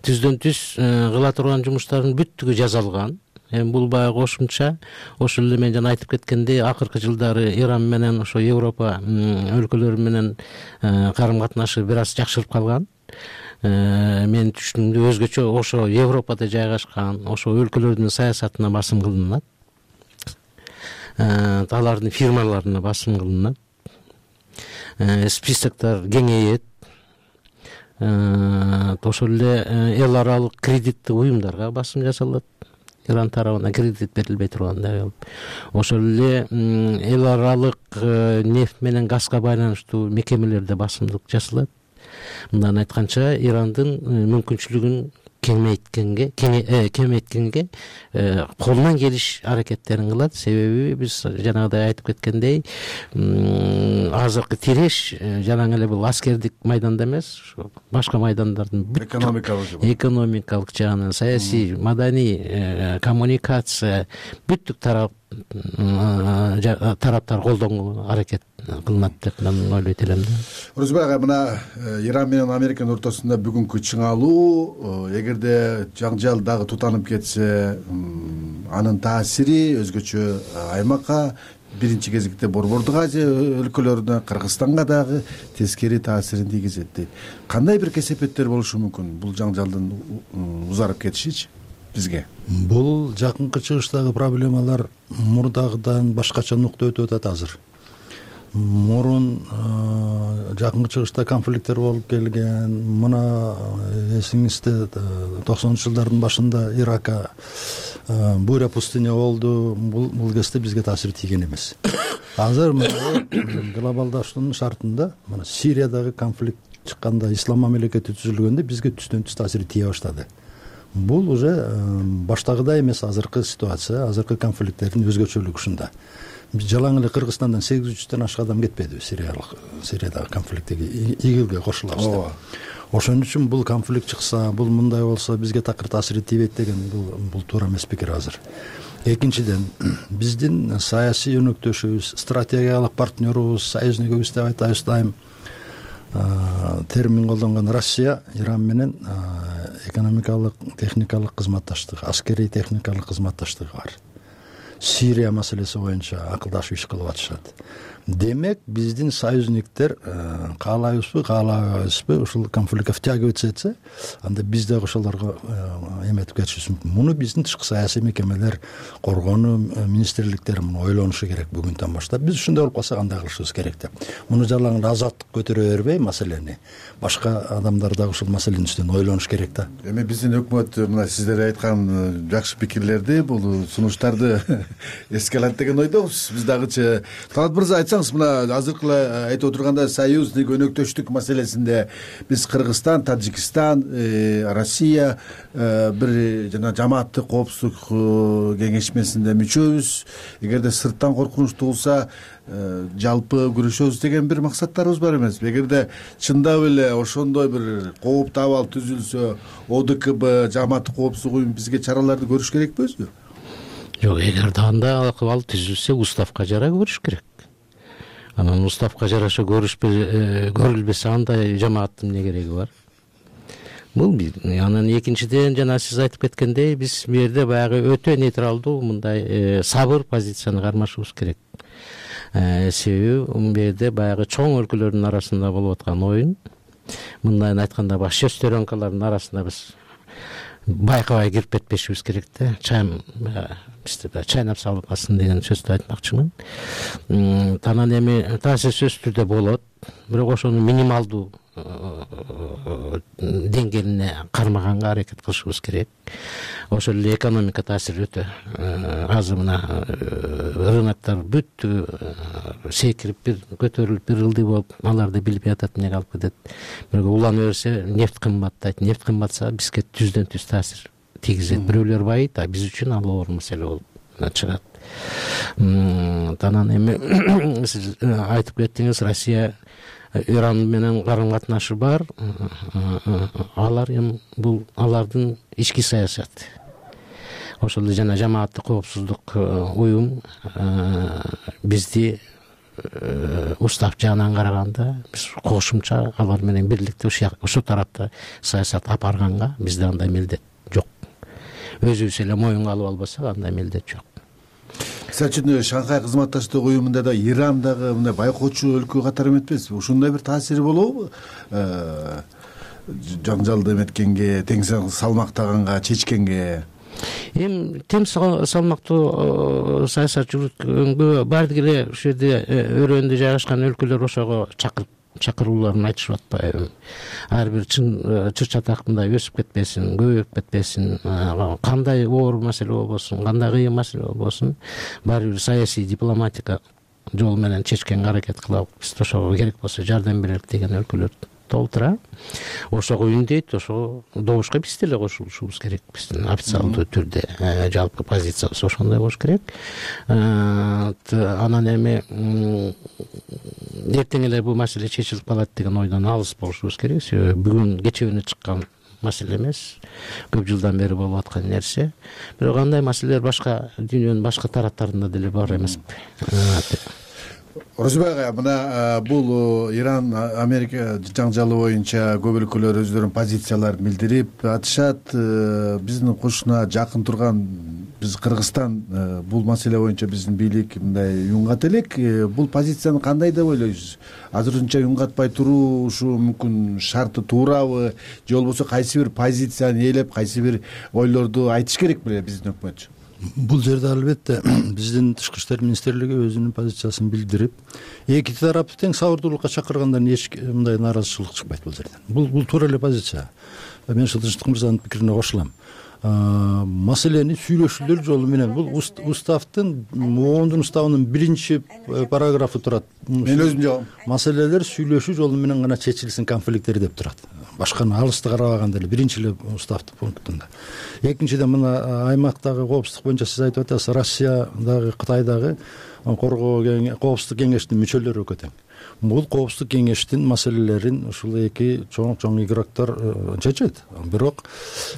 [SPEAKER 28] Түздөн түз кыла турган жумуштардын бүттүгү жазалган. Эми бул баягы кошумча ошол эле мен жана айтып кеткендей акыркы жылдары Иран менен ошо Европа өлкөлөрү менен карым катнашы бир аз жакшырып калган. Мен түшүнүмдө өзгөчө ошо Европада жайгашкан ошо өлкөлөрдүн саясатына басым кылынат. Алардын фирмаларына басым кылынат. Списоктор кеңейет. Ошол эле эл аралык кредиттик уюмдарга басым жасалат. Иран тарабынан кредит берилбей тургандай болуп. Ошол эле эл аралык нефть менен газга байланыштуу мекемелерде басымдык жасалат. Мындан айтканча Ирандын мүмкүнчүлүгүн кемейткенге колунан келиш аракеттерин кылат. Себеби биз жанагыдай айтып кеткендей азыркы тиреш жанагы эле бул аскердик майданда эмес, башка майдандардын экономикалык жагынан, саясий, маданий, коммуникация бүттүк тараптар колдонгонго аракет кылынат деп мен ойлойт элем да.
[SPEAKER 10] Орозбек ага, мына Иран менен Американын ортосунда бүгүнкү чыңалуу, эгерде жаңжал дагы тутанып кетсе, анын таасири өзгөчө аймакка, биринчи кезекте Борбордук Азия өлкөлөрүнө, Кыргызстанга дагы тескери таасирин тийгизет дейт. Кандай бир кесепеттер болушу мүмкүн бул жаңжалдын узарып кетишичи бизге?
[SPEAKER 27] Бул жакынкы чыгыштагы проблемалар мурдагыдан башкача нукта өтүп атат азыр. Мурун жакынкы чыгышта конфликттер болуп келген. Мына эсиңизде 90 жылдардын башында Иракка буря пустыня болду. Бул кезде бизге таасир тийген эмес. Азыр глобалдаштын шартында мына Сириядагы конфликт чыкканда, ислам мамлекети түзүлгөндө бизге түздөн түз таасири тие баштады. Бул уже баштагыдай эмес азыркы ситуация, азыркы конфликттердин өзгөчөлүгү ушунда. Жалаң эле Кыргызстандан 800төн ашык адам кетпеди Сириядагы конфликтеги ИГИЛге кошулабыз деп. Ошон үчүн бул конфликт чыкса, бул мындай болсо бизге такыр таасири тийбейт деген бул туура эмес пикир азыр. Экинчиден, биздин саясий өнөктөшүбүз, стратегиялык партнерубуз, союзникибиз деп айтабыз дайым термин колдонгон Россия Иран менен экономикалык, техникалык кызматташтык, аскерий техникалык кызматташтыгы бар. Сирия маселеси боюнча акылдашып иш кылып атышат. Демек, биздин союзниктер каалайбызбы, каалабайбызбы ушул конфликтке втягиваться этсе, анда биз дагы ошолорго эметип кетишибиз мүмкүн. Муну биздин тышкы саясий мекемелер, коргонуу министрликтери муну ойлонушу керек бүгүндөн баштап. Биз ушундай болуп калса кандай кылышыбыз керек деп. Муну жалаң эле азаттык көтөрө бербей маселени, башка адамдар дагы ушул маселенин үстүнөн ойлонуш керек да.
[SPEAKER 10] Эми биздин өкмөт мына сиздер айткан жакшы пикирлерди, бул сунуштарды эске алат деген ойдобуз. Биз дагычы Талат мырза айтсаңыз, мына азыркы эле айтып отурганда союздук өнөктөштүк маселесинде биз Кыргызстан, Тажикстан, Россия бир жана жамааттык коопсуздук кеңешмесинде мүчөбүз. Эгерде сырттан коркунуч туулса, жалпы күрөшөбүз деген бир максаттарыбыз бар эмеспи? Эгерде чындап эле ошондой бир кооптуу абал түзүлсө, ОДКБ, жамааттык коопсуздук уюму бизге чараларды көрүш керекпи өзү?
[SPEAKER 28] Жок, эгерде андай абал түзүлсө, уставка жараа көрүш керек. Анан уставка жараша көрүлбөсө андай жамааттын эмне кереги бар? Бул бир. Анан экинчиден, жана сиз айтып кеткендей, биз бу жерде баягы өтө нейтралдуу, мындай сабыр позицияны кармашыбыз керек. Себеби бу жерде баягы чоң өлкөлөрдүн арасында болуп аткан оюн, мындай айтканда баш шестеренкалардын арасында биз байкабай кирип кетпешибиз керек да. Бизде чайнап салбасын деген сөздү айтмакчымын. Анан эми таасир сөзсүз түрдө болот, бирок ошону минималдуу деңгээлине кармаганга аракет кылышыбыз керек. Ошол эле экономика таасири өтө азыр мына рыноктор бүт секирип, көтөрүлүп, бир ылдый болуп, аларды билбей атат, эмнеге алып кетет. Бирок улана берсе, нефть кымбаттайт. Нефть кымбатса бизге түздөн түз таасир тийгизет. Бирөөлөр байыйт, а биз үчүн ал оор маселе болуп чыгат. Анан эми сиз айтып кеттиңиз, Россия Иран менен карым-катнашы бар. Алар эми бул алардын ички саясаты. Ошол эле жана жамааттык коопсуздук уюм бизди устав жагынан караганда биз кошумча алар менен бирликте ушул тарапта саясат алып барганга бизде андай милдет жок. Өзүбүз эле моюнга алып албасак андай милдет жок.
[SPEAKER 10] Сиз үчүн Шанхай кызматташтык уюмунда да Иран дагы мындай байкоочу өлкө катары эметпесби? Ушундай бир таасири болобу? Жаңжалды эметкенге, тең салмактаганга, чечкенге.
[SPEAKER 28] Эми тең салмактуу саясат жүргүзгөнгө баардык эле ушул жерде өрөөндө жайгашкан өлкөлөр ошого чакырууларын айтышып атпайбы? Ар бир чыр чатак мындай өсүп кетпесин, көбөйүп кетпесин, кандай оор маселе болбосун, кандай кыйын маселе болбосун, баары бир саясий дипломатика жол менен чечкенге аракет кылабыз. Биз ошого керек болсо жардам берелик деген өлкөлөр толтура. Ошого үндейт, ошого добушка биз деле кошулушубуз керек. Биздин официалдуу түрдө жалпы позициябыз ошондой болуш керек. Анан эми эртең эле бул маселе чечилип калат деген ойдон алыс болушубуз керек. Себеби бүгүн кечээ чыккан маселе эмес, көп жылдан бери болуп аткан нерсе. Бирок андай маселелер башка дүйнөнүн башка тараптарында деле бар эмеспи?
[SPEAKER 10] Орозбек ага, мына бул Иран Америка жаңжалы боюнча көп өлкөлөр өздөрүнүн позицияларын билдирип атышат. Биздин кошуна жакын турган биз Кыргызстан бул маселе боюнча биздин бийлик мындай юнгат элек. Бул позицияны кандай деп ойлойсуз? Азырынча юнгатпай туруу ушу мүмкүн шарты туурабы? Же болбосо кайсы бир позицияны ээлеп, кайсы бир ойлорду айтыш керек беле биздин өкмөт?
[SPEAKER 27] Бул жерде албетте биздин тышкы иштер министрлиги өзүнүн позициясын билдирип, эки тарапты тең сабырдуулукка чакыргандан эч мындай нааразычылык чыкпайт бул жерден. Бул туура эле позиция. Мен Тынчтык мырзанын пикирине кошулам. Маселени сүйлөшүүлөр жолу менен бул уставдын оондун уставынын 1-параграфы турат.
[SPEAKER 10] Мен өзүм жагам.
[SPEAKER 27] Маселелер сүйлөшүү жолу менен гана чечилсин конфликттер деп турат. Башканы алысты карабаганда эле 1-эле уставдын пунктунда. Экинчиден мына аймактагы коопсуздук боюнча сиз айтып атасыз, Россия дагы Кытай дагы коопсуздук кеңештин мүчөлөрү экөө тең. Бул коопсуздук кеңештин маселелерин ушул эки чоң игроктор чечет. Бирок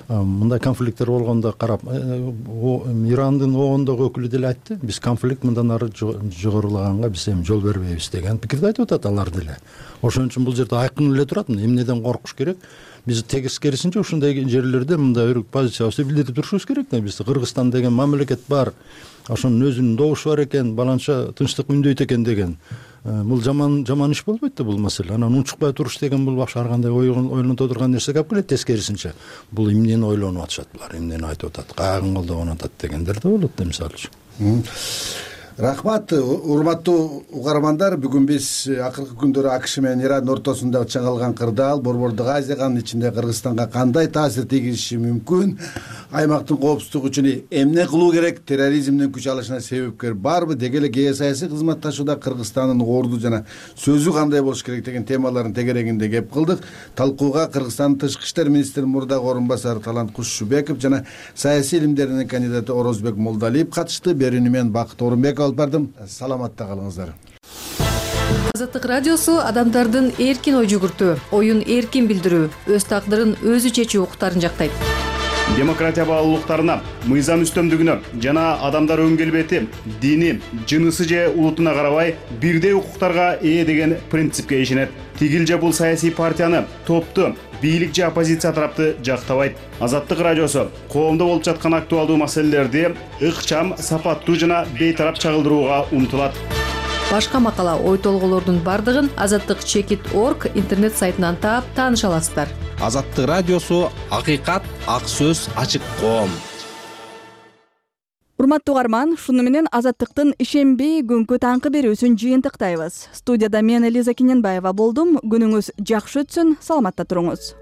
[SPEAKER 27] мындай конфликттер болгондо карап, Ирандын оондогу өкүлү деле айтты, биз конфликт мындан ары жогорулаганга биз эми жол бербейбиз деген пикирди айтып атат алар деле. Ошон үчүн бул жерде айкын эле турат, эмнеден коркуш керек? Биз тескерисинче ушундай жерлерде мындай позициябызды билдирип турушубуз керек. Бизде Кыргызстан деген мамлекет бар, ошонун өзүнүн добушу бар экен, баланча тынчтык үндөйт экен деген. Бул жаман иш болбойт да бул маселе. Анан унчукпай туруш деген бул башка ар кандай ойлонто турган нерсе калып келет. Тескерисинче бул эмнени ойлонуп атышат булар, эмнени айтып атат, каагын колдоп атат дегендер да болот да, мисалы үчүн.
[SPEAKER 10] Рахмат, урматтуу угармандар. Бүгүн биз акыркы күндөрү АКШ менен Ирандын ортосунда чыңалган кырдаал Борбордук Азияга, анын ичинде Кыргызстанга кандай таасир тийгизиши мүмкүн, аймактын коопсуздугу үчүн эмне кылуу керек, терроризмдин күч алышына себепкер барбы, деги эле геосаясий кызматташууда Кыргызстандын орду жана сөзү кандай болуш керек деген темалардын тегерегинде кеп кылдык. Талкууга Кыргызстандын тышкы иштер министринин мурдагы орун басары Талант Кушубеков жана саясий илимдердин кандидаты Орозбек Молдалиев катышты. Берүүнү мен Бакыт Орунбеков алып бардым. Саламатта калыңыздар.
[SPEAKER 2] Азаттык радиосу адамдардын эркин ой жүгүртүү, оюн эркин билдирүү, өз тагдырын өзү чечүү укуктарын жактайт.
[SPEAKER 3] Демократия баалуулуктарына, мыйзам үстөмдүгүнө жана адамдар өң келбети, дини, жынысы же улутуна карабай бирдей укуктарга ээ деген принципке ишенет. Тигил же бул саясий партияны, топту, бийлик же оппозиция тарапты жактабайт. Азаттык радиосу коомдо болуп жаткан актуалдуу маселелерди ыкчам, сапаттуу жана бейтарап чагылдырууга умтулат.
[SPEAKER 2] Башка макала, ой толгоолордун бардыгын azattik.org интернет сайтынан таап тааныша аласыздар.
[SPEAKER 4] Азаттык радиосу акыйкат, ак сөз, ачык коом.
[SPEAKER 1] Урматтуу угарман, шуну менен Азаттыктын ишемби күnkү таңкы берүүсүн жыйынтыктайбыз. Студияда мен Элиза Кененбаева болдум. Күнүңүз жакшы өтсүн, саламатта туруңуз.